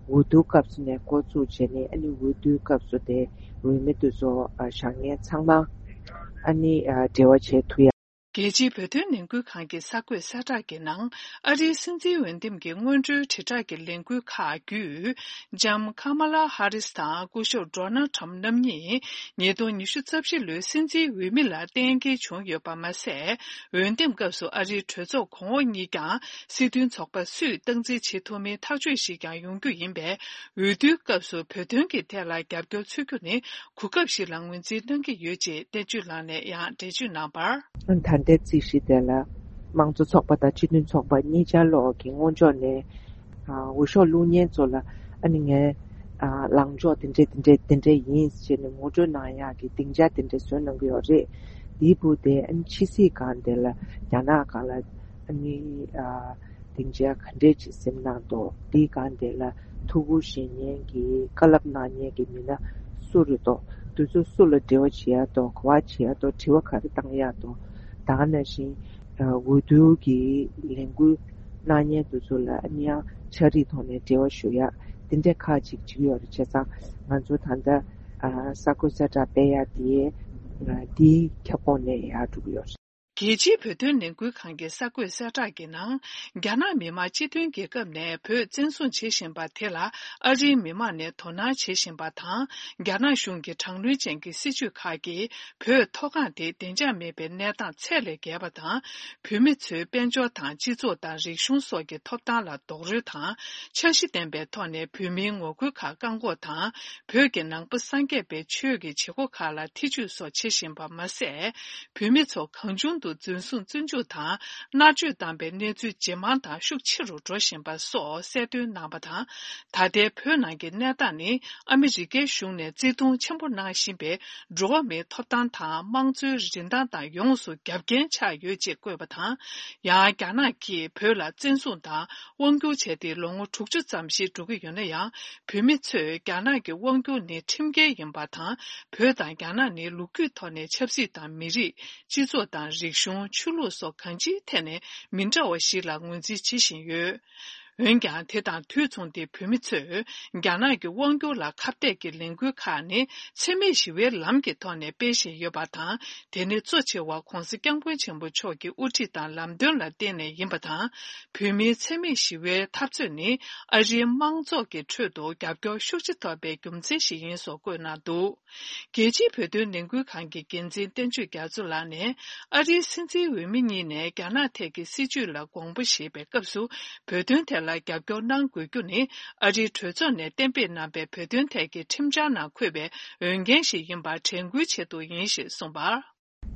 འོས་བསྡུ་སྐབས་སུ་ནས་འགོ་བཙུགས་བྱས་ནས། ཨ་ནི་འོས་བསྡུའི་སྐབས་སུ་དེ་འོས་མི་དེ་ཚོ་ཨ་བཞེངས་མཁན་ཚང་མ་ཨ་ནི་ཨ་འབྲེལ་བ་བྱེད་ཐུབ་ཡ། རྒྱལ་སྤྱིའི་བོད་དོན་ལས་འགུལ་ཁང་གི་གསར་འགོད་གསལ་བསྒྲགས་ཀྱི་ནང་། ཨ་རིའི་སྲིད་འཛིན་འོས་འདེམས་ཀྱི་སྔོན་འགྲོའི་དྲིལ་བསྒྲགས་ཀྱི་ལས་འགུལ་ཁག་བརྒྱུད། ལྕམ་ཁ་མ་ལ་ཧ་རིས་དང་སྐུ་ཞབས་ཌོ་ནལ་ཊམ་རྣམ་གཉིས་ཉིས་སྟོང་ཉི་ཤུ་རྩ་བཞི་ལོའི་སྲིད་འཛིན་འོས་མི་ལ་གཏན་འཁེལ་བྱུང་ཡོད་པ་མ་ཟད། འོས་འདེམས་སྐབས་སུ་ཨ་རིའི་གྲོས་ཚོགས་གོང་འོག་གཉིས་ཀྱང་སྲིད་དོན་ཚོགས་པ་སུས་སྟངས་འཛིན་བྱེད་ཐུབ་མིན་ཐག་གཅོད་ཞིག་ཀྱང་ཡོང་རྒྱུ་ཡིན་པས། འོས་བསྡུའི་སྐབས་སུ་བོད་དོན་གྱི་ཐད་ལ་རྒྱབ་སྐྱོར་འཚོལ་རྒྱུ་ནི་གོ་སྐབས་ཤིག་ལ་ངོས་འཛིན་གནང་གི་ཡོད་ཅེས་བསྟན་ཆོས་ལགས་ནས་ཡང་འགྲེལ་བརྗོད་གནང་བར། ད་ལྟའི་རྩིས་གཞི་དེ་ལ་དམངས་གཙོ་ཚོགས་པ་དང་སྤྱི་མཐུན་ཚོགས་པ་གཉིས་ཆར་ལོག་གི་སྔོན་ཕྱོགས་ནས་ཨ་འོས་ཤོག་བླུག་མཁན་ཚོ་ལ། ཨ་ནི་ངས་ཨ་ལངས་ཕྱོགས་དེ་འདྲས་དེ་འདྲས་དེ་འདྲས་ཡིན་ཟེར་ནས་ངོ་སྤྲོད་གནང་ཡག་གི་སྡིངས་ཆ་དེ་འདྲས་བཟོས་གནང་གི་ཡོད་རེད། དེའི་བུ་དེ་ཨ་ནི་ཕྱི་སྲིད་སྒང་དེ་ལ་རྒྱ་ནག་སྒང་ལ་ཨ་ནི་ཨ། སྡིངས་ཆ་ག་འདྲས་ཅིག་ཟིན་གནང་འདུག་འདིའི་སྒང་དེ་ལ་ཐུགས་ཁུར་བཞེས་མཁན་གྱི་བཀའ་སློབ་གནང་མཁན་གྱི་མི་སྣ་སུ་རེད་འདུག་དེ་ཚོ་སུ་ལ་འབྲེལ་བ་བྱེད་ཡ་འདུག་ག་པར་བྱེད་ཡ་འདུག་དྲི་བ་ག་རེ་བཏང་ཡ་འདུག་ད་ག་ནང་བཞིན་འོས་བསྡུ་གི་ལས་འགུལ་གནང་མཁན་དེ་ཚོ་ལ་ཨ་ནི་ཡང་ཕྱག་བྲིས་ཐོག་ནས་འབྲེལ་བ་ཞུ་ཡ། དེ་འདྲས་ཁག་ཅིག་བྱེད་ཀྱི་ཡོད་རེད། བྱས་ཙང་ང་ཚོ་ད་ལྟ་གསར་འགོད་གསལ་བསྒྲགས་སྤེལ་ཡ་དེ་འདིའི་ཁྱབ་ཁོངས་ནས་ཡར་འགྲོ་གི་ཡོད་རེད། རྒྱལ་སྤྱིའི་བོད་དོན་ལས་འགུལ་ཁང་གི་གསར་འགོད་གསལ་བསྒྲགས་ཀྱི་ནང་། རྒྱ་ནག་མི་དམངས་སྤྱི་མཐུན་རྒྱལ་ཁབ་ནས་བོད་བཙན་བཟུང་བྱེད་བཞིན་པ་དེ་ལ་ཨ་རིའི་མི་དམངས་ནས་དོ་སྣང་བྱེད་བཞིན་པ་དང་། རྒྱ་ནག་གཞུང་གི་དྲག་གནོན་ཅན་གྱི་སྲིད་བྱུས་ཁག་གིས་བོད་མཐོ་སྒང་དེ་བདེ་འཇགས་མེད་པའི་གནས་སྟངས་ཚད་ལས་བརྒལ་བ་དང་། བོད་མི་ཚོའི་དཔལ་འབྱོར་དང་སྤྱི་ཚོགས་དང་རིག་གཞུང་སོགས་ཀྱི་ཐོབ་ཐང་ལ་རྡོག་རོལ་དང་། འཆར་གཞི་ལྡན་པའི་ཐོག་ནས་བོད་མིའི་ངོ་རྒོལ་ཁག་བཀག་འགོག་དང་། བོད་ཀྱི་ནང་པ་སངས་རྒྱས་པའི་ཆོས་ཀྱི་བྱེད་སྒོ་ཁག་ལ་ཐེ་ཇུས་སོགས་བྱེད་བཞིན་པ་མ་ཟད། བོད་མི་ཚོ་གང་བྱུང་དུ་འཛིན་བཟུང་བཙོན་འཇུག་དང་མནར་གཅོད་བཏང་པའི་གནས་ཚུལ་ཇེ་མང་དང་ཤུགས་ཆེ་རུ་འགྲོ་བཞིན་པ་སོགས་གསལ་སྟོན་གནང་བ་དང་། ད་ལྟའི་བོད་ནང་གི་གནས་སྟངས་ནི་ཨ་མི་རི་ཀའི་གཞུང་ནས་བརྩི་མཐོང་ཆེན་པོ་གནང་བཞིན་པའི་འགྲོ་བ་མིའི་ཐོབ་ཐང་དང་དམངས་གཙོའི་རིན་ཐང་དང་ཡོངས་སུ་རྒྱབ་འགལ་ཆགས་ཡོད་ཅེས་བཀོད་པ་དང་། ཡང་རྒྱ་ནག་གིས་བོད་ལ་བཙན་བཟུང་དང་དབང་བསྒྱུར་བྱས་ཏེ་ལོ་ངོ་དྲུག་ཅུ་ཙམ་ཞིག་འགྲོ་གི་ཡོད་ན་ཡང་། བོད་མི་ཚོས་རྒྱ་ནག་གི་དབང་སྒྱུར་ནི་ཁྲིམས་འགལ་ཡིན་པ་དང་། བོད་དང་རྒྱ་ནག་ནི་ལོ་རྒྱུས་ཐོག་ནས་ཆབ་སྲིད་དང་མི་རིགས། སྤྱི་ཚོགས་དང་རིག་གཞུང་། ཆོས་ལུགས་སོགས་གང་ཅིའི་ཐད་ནས་མི་འདྲ་བ་ཞིག་ལ་ངོས་འཛིན་བྱེད་བཞིན་ཡོད། འོན་ཀྱང་། དེ་དང་དུས་མཚུངས་ཏེ་བོད་མི་ཚོས་རྒྱ་ནག་གི་དབང་སྒྱུར་ལ་ཁ་གཏད་ཀྱི་ལས་འགུལ་ཁག་ནི་འཚེ་མེད་ཞི་བའི་ལམ་གྱི་ཐོག་ནས་སྤེལ་བཞིན་ཡོད་པ་དང་། དེ་ནི་གཙོ་ཆེ་བ་༧གོང་ས་༧སྐྱབས་མགོན་ཆེན་པོ་མཆོག་གི་དབུ་ཁྲིད་དང་ལམ་སྟོན་ལ་བརྟེན་ནས་ཡིན་པ་དང་། བོད་མིའི་འཚེ་མེད་ཞི་བའི་འཐབ་རྩོད་ནི་ཨ་རིའི་དམངས་ཚོགས་ཀྱི་ཁྲོད་དུ་རྒྱབ་སྐྱོར་ཤུགས་ཆེ་ཐོབ་པའི་རྒྱུ་མཚན་ཞིག་ཡིན་སོགས་བཀོད་གནང་འདུག་རྒྱལ་སྤྱིའི་བོད་དོན་ལས་འགུལ་ཁང་གི་འགན་འཛིན་བསྟན་ཆོས་རྒྱ་མཚོ་ལགས་ནས། ཨ་རིའི་སྲིད་འཛིན་འོས་མི་གཉིས་ནས་རྒྱ་ནག་ཐད་ཀྱི་སྲིད་བྱུས་ལ་དགོངས་པ་བཞེས་པའི་སྐབས་སུ། བོད་དོན་ཐད་ལ་རྒྱབ་སྐྱོར་གནང་དགོས་རྒྱུ་ནི། ཨ་རིའི་གྲོས་ཚོགས་ནས་གཏན་འབེབས་གནང་པའི་བོད་དོན་ཐད་ཀྱི་ཁྲིམས་འཆར་ནང་འཁོད་པའི་འོས་འགན་ཞིག་ཡིན་པར་དྲན་སྐུལ་ཆེད་དུ་ཡིན་ཞེས་གསུངས་པར།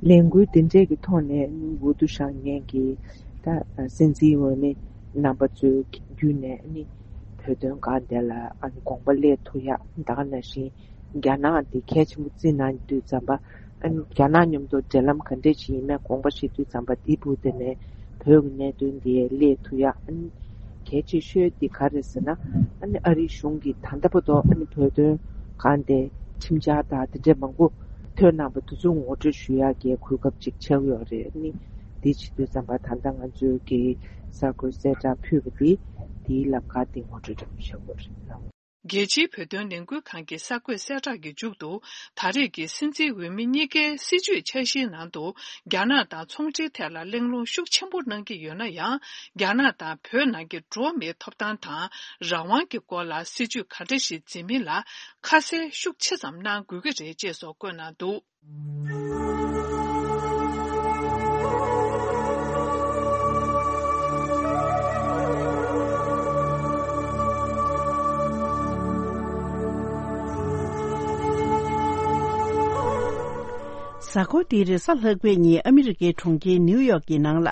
ལས་འགུལ་འདི་འདྲས་ཀྱི་ཐོག་ནས་འོས་བསྡུ་བཞེངས་མཁན་གྱི་ད་སྲིད་འཛིན་འོས་མི་རྣམ་པ་ཚོའི་བརྒྱུད་ནས་ནི། བོད་དོན་སྒང་དེ་ལ་ཨ་ནི་དགོངས་པ་སླེབས་ཐུབ་ཡག་ད་ག་ནང་བཞིན་རྒྱ་ནག་འདི་གལ་ཆེན་པོ་བརྩིས་གནང་དུས་ཙམ་པ། ཨ་ནི་རྒྱ་ནག་མཉམ་དུ་འབྲེལ་ལམ་ག་འདྲས་ཞིག་ཡིན་མིན་དགོངས་པ་བཞེས་དུས་ཙམ་པ་འདི་བུ་དེ་ནས་བོད་ཀྱི་གནད་དོན་འདི་སླེབས་ཐུབ་ཡག་ཨ་ནི་གལ་ཆེ་ཤོས་འདི་ག་རེད་ཟེར་ན། ཨ་ནི་ཨ་རིའི་གཞུང་གིས་ད་ལྟ་བར་དུ་ཨ་ནི་བོད་དོན་སྒང་དེ་ཁྲིམས་འཆར་དང་དེ་འདྲས་མང་པོ་ཐོན་གནང་པ་དེ་ཚོ་ངོ་སྤྲོད་ཞུ་ཡག་གི་གོ་སྐབས་ཅིག་ཆགས་ཡོད་རེད། ཨ་ནི་འདི་བྱེད་དུས་ཙམ་པ་ད་ལྟ་ང་ཚོས་ཀྱི་གསར་འགོད་གསལ་བསྒྲགས་ཕུལ་བ་འདི་འདིའི་ལམ་ཁ་འདི་ངོ་སྤྲོད་རེ་བྱེད་དགོས་རེད། རྒྱལ་སྤྱིའི་བོད་དོན་ལས་འགུལ་ཁང་གི་གསར་འགོད་གསལ་བསྒྲགས་ཀྱི་མཇུག་ཏུ། ད་རེས་ཀྱི་སྲིད་འཛིན་འོས་མི་གཉིས་ཀའི་སྲིད་བྱུས་འཆར་གཞིའི་ནང་དུ། རྒྱ་ནག་དང་ཚོང་འབྲེལ་ཐད་ལ་གླེང་སློང་ཤུགས་ཆེན་པོ་གནང་གི་ཡོད་ན་ཡང་། རྒྱ་ནག་དང་བོད་ནང་གི་འགྲོ་བ་མིའི་ཐོབ་ཐང་དང་རང་དབང་གི་སྐོར་ལ་སྲིད་བྱུས་ག་འདྲ་ཞིག་འཛིན་མིན་ལ་ཁ་གསལ་ཤུགས་ཆེ་ཙམ་གནང་དགོས་ཀྱི་རེད་ཅེས་སོགས་བཀོད་གནང་འདུག། གཟའ་འཁོར་འདིའི་རེས་གཟའ་ལྷག་པའི་ཉིན་ཨ་མི་རི་ཀའི་གྲོང་ཁྱེར་ནིའུ་ཡོག་གི་ནང་ལ།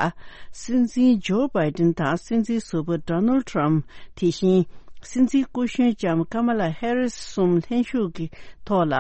སྲིད་འཛིན་ཇོ་བྷའི་ཏིན་དང་སྲིད་འཛིན་ཟུར་པ་ཌོ་ནལ་ཁྲམ། དེ་བཞིན། སྲིད་འཛིན་སྐུ་གཞོན་ལྕམ་ཀ་མ་ལ་ཧེ་རིས་གསུམ་ལྷན་ཞུགས་ཀྱི་ཐོག་ལ།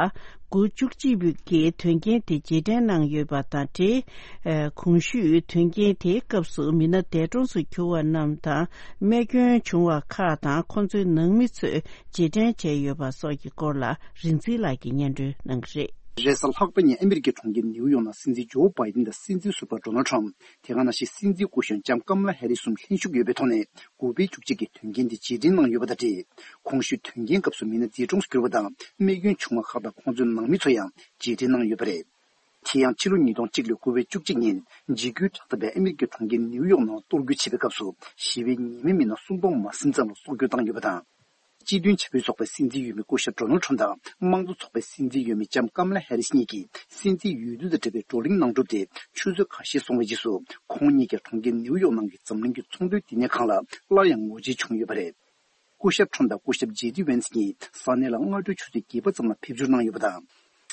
དགུ་བཅུ་གཅིག་པའི་གི་དོན་རྐྱེན་དེ་རྗེས་དྲན་གནང་ཡོད་པ་དང་འབྲེལ། ཨ། གོང་ཞུས་དོན་རྐྱེན་དེའི་སྐབས་སུ་མི་སྣ་འདས་གྲོངས་སུ་གྱུར་བ་རྣམས་དང་རྨས་སྐྱོན་བྱུང་བ་ཁག་དང་ཁོང་ཚོའི་ནང་མི་ཚོས་རྗེས་དྲན་བྱས་ཡོད་པ་སོགས་ཀྱི་སྐོར་ལ་རིག་འཛིན་ལགས་ཀྱིས་སྙན་སྒྲོན་གནང་གི་རེད། རེས་གཟའ་ལྷག་པ་ཉིན་ཨ་མི་རི་ཀའི་གྲོང་ཁྱེར་ནིའུ་ཡོག་ནང་སྲིད་འཛིན་ཇོ་བྷའི་ཏིན་དང་སྲིད་འཛིན་ཟུར་པ་ཌོ་ནལ་ཁྲམ། དེ་ག་ནང་བཞིན་སྲིད་འཛིན་སྐུ་གཞོན་ལྕམ་ཀམ་ལ་ཧེ་རི་གསུམ་ལྷན་ཞུགས་ཡོད་པའི་ཐོག་ནས། དགུ་པའི་བཅུ་གཅིག་གི་དོན་རྐྱེན་དེ་རྗེས་དྲན་གནང་ཡོད་པ་དང་འབྲེལ། གོང་ཞུས་དོན་རྐྱེན་སྐབས་སུ་མི་སྣ་འདས་གྲོངས་སུ་གྱུར་པ་དང་རྨས་སྐྱོན་བྱུང་བ་ཁག་དང་ཁོང་ཚོའི་ནང་མི་ཚོ་ཡང་རྗེས་དྲན་གནང་ཡོད་པ་རེད། དེ་ཡང་ཕྱི་ལོ་ཉིས་སྟོང་གཅིག་ལོའི་དགུ་པའི་བཅུ་གཅིག་ཉིན་འཇིགས་སྐུལ་དྲག་འཐབ་པས་ཨ་མི་རི་ཀའི་གྲོང་ཁྱེར་ནིའུ་ཡོག་ནང་གཏོར་རྒོལ་བྱས་པའི་སྐབས་སུ་ཞི་བའི་ཉེས་མེད་མི་སྣ་སུམ་སྟོང་མ་ཟིན་ཙམ་ལ་སྲོག་སྐྱོན་བཏང་ཡོད་པ་དང་། སྤྱི་མཐུན་བྱ་འཕུར་ཚོགས་པའི་སྲིད་འཛིན་འོས་མི་སྐུ་ཞབས་ཌོ་ནལ་ཁྲམ་དང་དམངས་གཙོ་ཚོགས་པའི་སྲིད་འཛིན་འོས་མི་ལྕམ་ཀམ་ལ་ཧེ་རིས་གཉིས་ཀྱིས་སྲིད་འཛིན་འོས་བསྡུ་དང་འབྲེལ་བའི་བགྲོ་གླེང་གནང་གྲུབ་དེ་ཆུ་ཚོད་ཁ་ཤས་སོང་བའི་རྗེས་སུ་ཁོང་གཉིས་ཀྱིས་གྲོང་ཁྱེར་ནིའུ་ཡོག་ནང་གི་འཛམ་གླིང་གི་ཚོང་དོན་བསྟི་གནས་ཁང་ལ་སླར་ཡང་ངོ་མཇལ་བྱུང་ཡོད་པ་རེད། སྐུ་ཞབས་ཁྲམ་དང་སྐུ་ཞབས་ཇེ་ཌི་ཝན་སི་གཉིས་ས་གནས་ལ་སྔ་དྲོའི་ཆུ་ཚོད་བརྒྱད་པ་ཙམ་ལ་ཕེབས་འབྱོར་གནང་ཡོད་པ་དང་།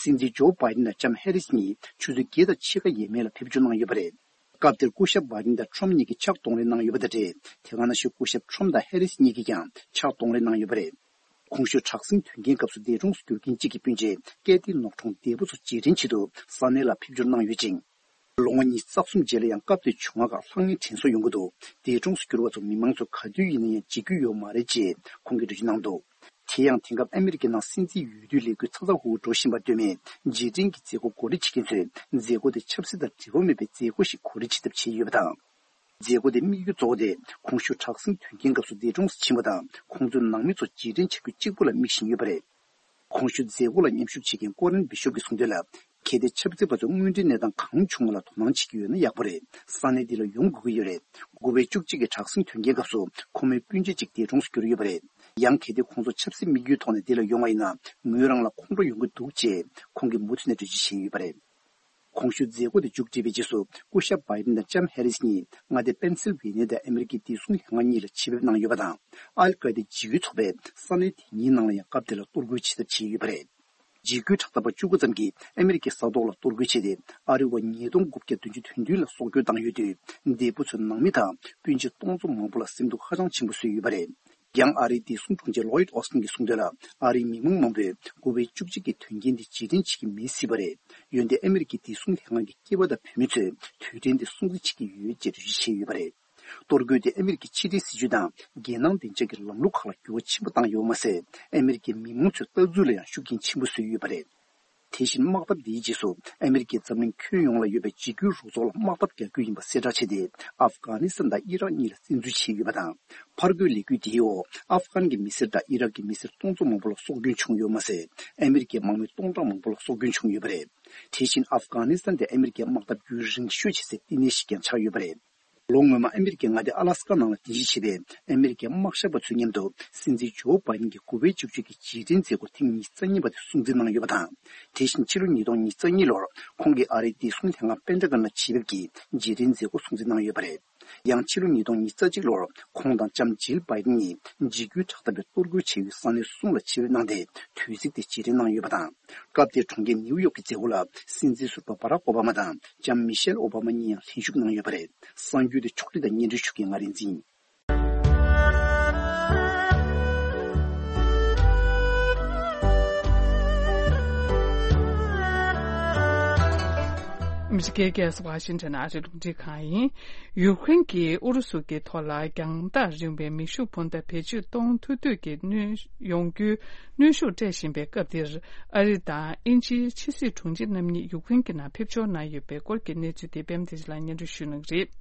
སྲིད་འཛིན་ཇོ་བྷའི་ཌེན་དང་ལྕམ་ཧེ་རིས་གཉིས་ཆུ་ཚོད་བརྒྱད་དང་ཕྱེད་ཀ་ཡས་མས་ལ་ཕེབས་འབྱོར་གནང་ཡོད་པ་རེད། སྐབས་དེར་སྐུ་ཞབས་བྷའི་ཌེན་དང་ཁྲོམ་གཉིས་ཀྱིས་ཕྱག་གདོང་ལེན་གནང་ཡོད་པ་དང་འབྲེལ། དེ་ག་ནང་བཞིན་སྐུ་ཞབས་ཁྲོམ་དང་ཧེ་རིས་གཉིས་ཀྱིས་ཀྱང་ཕྱག་གདོང་ལེན་གནང་ཡོད་པ་རེད། གོང་ཞུས་དྲག་ཟིང་དོན་རྐྱེན་སྐབས་སུ་འདས་གྲོངས་སུ་གྱུར་མཁན་གཅིག་གི་སྤུན་མཆེད་ཀེ་ཏི་ནོག་ཁྲོང་འདས་པོ་ཚོ་རྗེས་དྲན་ཆེད་དུ་ས་གནས་ལ་ཕེབས་འབྱོར་གནང་ཡོད་ཅིང་། ལོ་ངོ་ཉི་ཤུ་རྩ་གསུམ་རྗེས་ལ་ཡང་སྐབས་དེའི་བྱུང་བ་ཁག་ལྷང་ངེར་དྲན་གསོ་ཡོང་གི་འདུག་འདས་གྲོངས་སུ་གྱུར་བ་ཚོ་མི་མང་ཚོ་ག་དུས་ཡིན་ན་ཡང་བརྗེད་རྒྱུ་ཡོད་མ་རེད་ཅེས་ཁོང་གིས་འགྲེལ་བརྗོད་གནང་འདུག་དེ་ཡང་དེང་སྐབས་ཨ་མི་རི་ཀའི་ནང་སྲིད་འཛིན་འོས་བསྡུའི་ལས་འགུལ་ཚ་ཚ་འུར་འུར་འགྲོ་བཞིན་པར་ལྟོས་མེད་རྗེས་དྲན་གྱི་མཛད་སྒོ་གོ་སྒྲིག་བྱེད་མཁན་ཚོས་མཛད་སྒོ་དེ་ཆབ་སྲིད་དང་འབྲེལ་བ་མེད་པའི་མཛད་སྒོ་ཞིག་གོ་སྒྲིག་བྱེད་ཐབས་བྱས་ཡོད་པ་དང་། མཛད་སྒོ་དེའི་དམིགས་ཡུལ་གཙོ་བོ་དེ་གོང་ཞུས་དྲག་ཟིང་དོན་རྐྱེན་སྐབས་སུ་འདས་གྲོངས་སུ་ཕྱིན་པ་དང་ཁོང་ཚོའི་ནང་མི་ཚོ་རྗེས་དྲན་བྱ་རྒྱུ་གཅིག་པུ་ལ་དམིགས་བཞིན་ཡོད་པ་རེད། གོང་ཞུས་མཛད་སྒོ་ལ་མཉམ་ཞུགས་བྱེད་མཁན་ཀོ་རན་བི་ཤོབ་ཀྱིས་གསུངས་དོན་ལ། གལ་ཏེ་ཆབ་སྲིད་པ་ཚོས་དངོས་འབྲེལ་གནས་སྟངས་གང་བྱུང་བ་ལ་དོ་སྣང་བྱེད་ཀྱི་ཡོད་ན་ཡག་པོ་རེད། ས་གནས་འདི་ལ་ཡོང་དགོས་ཀྱི་ཡོད་རེད། དགུ་པའི་བཅུ་གཅིག་གི་དྲག་ཟིང་དོན་རྐྱེན་སྐབས་སུ་ཁོ་མོའི་སྤུན་མཆེད་ཅིག་འདས་གྲོངས་སུ་གྱུར་ཡོད་པ་རེད། ཡང་གལ་ཏེ་ཁོང་ཚོ་ཆབ་སྲིད་དམིགས་ཡུལ་ཐོག་ནས་འདི་ལ་ཡོང་བ་ཡིན་ན་ངོས་རང་ལ་ཁོང་ཁྲོ་ཡོང་གི་འདུག་ཅེས་ཁོང་གིས་མུ་མཐུད་ནས་འགྲེལ་བརྗོད་བྱས་ཡོད་པ་རེད། གོང་ཞུས་མཛད་སྒོ་དེ་མཇུག་བསྒྲིལ་བའི་རྗེས་སུ་སྐུ་ཞབས་བྷའི་ཌེན་དང་ལྕམ་ཧེ་རིས་གཉིས་མངའ་སྡེ་པེན་སིལ་ཝེ་ནི་ཡ་དང་ཨ་མི་རི་ཀའི་བདེ་སྲུང་ལྷན་ཁང་གཉིས་ལ་ཆེད་ཕེབས་གནང་ཡོད་པ་དང་། ཨལ་ཀ་ཡེ་ད་འཇིགས་སྐུལ་ཚོགས་པས་ས་གནས་དེ་གཉིས་ནང་ལ་ཡང་སྐབས་དེ་ལ་གཏོར་རྒོལ་བྱེད་ཐབས་བྱས་ཡོད་པ་རེད། འཇིགས་སྐུལ་དྲག་འཐབ་པ་བཅུ་དགུ་ཙམ་གྱིས་ཨ་མི་རི་ཀའི་ས་ཐོག་ལ་གཏོར་རྒོལ་བྱས་ཏེ་ཨ་རི་བ་ཉིས་སྟོང་དགུ་བརྒྱ་བདུན་ཅུ་དོན་བདུན་ལ་སྲོག་སྐྱོན་བཏང་ཡོད་དུས་འདས་པོ་ཚོའི་ནང་མི་དང་སྤུན་མཆེད་སྟོང་ཚོ་མང་པོ་ལ་སེམས་སྡུག་ཧ་ཅང་ཆེན་པོ་བཟོས་ཡོད་པ་རེད། ཡང་ཨ་རིའི་བདེ་སྲུང་དྲུང་ཆེ་ལོ་ཡིད་ཨོ་སྟིན་གྱིས་གསུངས་དོན་ལ། ཨ་རིའི་མི་མང་མང་པོས་དགུ་པའི་བཅུ་གཅིག་གི་དོན་རྐྱེན་འདི་རྗེས་དྲན་བྱེད་ཀྱི་མེད་སྲིད་པ་རེད། འོན་ཏེ་ཨ་མི་རི་ཀའི་བདེ་སྲུང་ལྷན་ཁང་གི་སྐྱེས་པ་དང་བུད་མེད་ཚོས་དུས་དྲན་འདི་སྲུང་བརྩི་བྱེད་ཀྱི་ཡོད་ཅེས་འགྲེལ་བརྗོད་བྱས་ཡོད་པ་རེད། གཏོར་རྒོལ་དེ་ཨ་མི་རི་ཀའི་ཕྱི་འབྲེལ་སྲིད་ཇུས་དང་རྒྱལ་ནང་བདེ་འཇགས་ཀྱི་ལམ་ལུགས་ཁག་ལ་འགྱུར་བ་ཆེན་པོ་བཏང་ཡོད་མ་ཟད། ཨ་མི་རི་ཀའི་མི་མང་ཚོའི་ལྟ་ཚུལ་ལ་ཡང་ཤུགས་རྐྱེན་ཆེན་པོ་བཟོས་ཡོད་པ་རེད། དེ་བཞིན་དམག་འཐབ་འདིའི་རྗེས་སུ་ཨ་མི་རི་ཀས་འཛམ་གླིང་ཁྱོན་ཡོངས་ལ་ཡོད་པའི་འཇིགས་སྐུལ་རུ་ཚོགས་ལ་དམག་འཐབ་རྒྱག་རྒྱུ་ཡིན་པ་གསལ་བསྒྲགས་བྱས་ཏེ། ཨབ་གྷ་ནི་སི་ཐན་དང་ཨི་རག་གཉིས་ལ་བཙན་འཛུལ་བྱས་ཡོད་པ་དང་། ཕར་རྒོལ་ལས་འགུལ་འདིའི་འོག་ཨབ་གྷན་གྱི་མི་སེར་དང་ཨི་རག་གི་མི་སེར་སྟོང་ཚོ་མང་པོ་ལ་སྲོག་སྐྱོན་བྱུང་ཡོད་མ་ཟད། ཨ་མི་རི་ཀའི་དམག་མི་སྟོང་ཕྲག་མང་པོ་ལ་སྲོག་སྐྱོན་བྱུང་ཡོད་པ་རེད། དེ་བཞིན་ཨབ་གྷ་ནི་སི་ཐན་དེ་ཨ་མི་རི་ཀའི་དམག་འཐབ་རྒྱུན་རིང་ཤོས་བྱེད་སའི་བསྟི་གནས་ཤིག་ཀྱང་ཆགས་ཡོད་པ་རེད། ལོ་སྔོན་མ་ཨ་མི་རི་ཀའི་མངའ་སྡེ་ཨ་ལ་སི་ཀ་ནང་ལ་རྟེན་གཞི་བྱས་པའི་ཨ་མི་རི་ཀའི་དམག་ཞབས་པ་ཚོའི་མཉམ་དུ་སྲིད་འཛིན་ཇོ་བྷའི་ཌེན་གྱི་དགུ་པའི་བཅུ་གཅིག་གི་རྗེས་དྲན་མཛད་སྒོ་ཐེངས་ཉི་ཤུ་རྩ་གཉིས་པ་དེ་སྲུང་བརྩི་གནང་ཡོད་པ་དང་། དེ་བཞིན་ཕྱི་ལོ་ཉིས་སྟོང་ཉི་ཤུ་རྩ་གཉིས་ལོར་ཁོང་གིས་ཨ་རིའི་བདེ་སྲུང་ལྷན་ཁང་པེན་ཏ་གོན་ལ་ཆེད་ཕེབས་ཀྱིས་རྗེས་དྲན་མཛད་སྒོ་སྲུང་བརྩི་གནང་ཡོད་པ་རེད། ཡང་ཕྱི་ལོ་ཉིས་སྟོང་ཉི་ཤུ་རྩ་གཅིག་ལོར་ཁོང་དང་ལྕམ་ཇིལ་བྷའི་ཌེན་གཉིས་འཇིགས་སྐུལ་དྲག་འཐབ་པས་གཏོར་རྒོལ་བྱས་ཡུལ་ས་གནས་གསུམ་ལ་ཆེད་ཕེབས་གནང་སྟེ་དུས་ཚིགས་དེ་རྗེས་དྲན་གནང་ཡོད་པ་དང་། སྐབས་དེར་གྲོང་ཁྱེར་ནིའུ་ཡོག་གི་མཛད་སྒོ་ལ་སྲིད་འཛིན་ཟུར་པ་བྷ་རག་ཨོ་བྷ་མ་དང་ལྕམ་མི་ཤེལ་ཨོ་བྷ་མ་གཉིས་ཡང་ལྷན་ཞུགས་གནང་ཡོད་པ་རེད། གསར་འགྱུར་དེ་ཕྱོགས་སྒྲིག་དང་སྙན་སྒྲོན་ཞུ་མཁན་ང་རིག་འཛིན། ཨ་མི་རི་ཀའི་རྒྱལ་ས་ཝ་ཤིང་ཊོན་ཨ་རིའི་རླུང་འཕྲིན་ཁང་ཡིན། ཡུཀ་རེན་གྱིས་ཨུ་རུ་སུ་གྱི་ཐོག་ལ་རྒྱང་ཐག་རིང་བའི་མེ་ཤུགས་འཕུར་མདའ་བེད་སྤྱོད་གཏོང་ཐུབ་འདོད་ཀྱི་གནོན་ཡོང་རྒྱུའི་གནོན་ཤུགས་སྤྲད་བཞིན་པའི་སྐབས་འདིར། ཨ་རི་དང་དབྱིན་ཇིའི་ཕྱི་སྲིད་དྲུང་ཆེ་རྣམ་གཉིས་ཡུཀ་རེན་གྱི་ནང་ཕེབས་འབྱོར་གནང་ཡོད་པའི་སྐོར་གྱི་གནས་ཚུལ་དེ་པད་མ་བདེ་ཆེན་ལགས་སྙན་སྒྲོན་ཞུ་གནང་གི་རེད།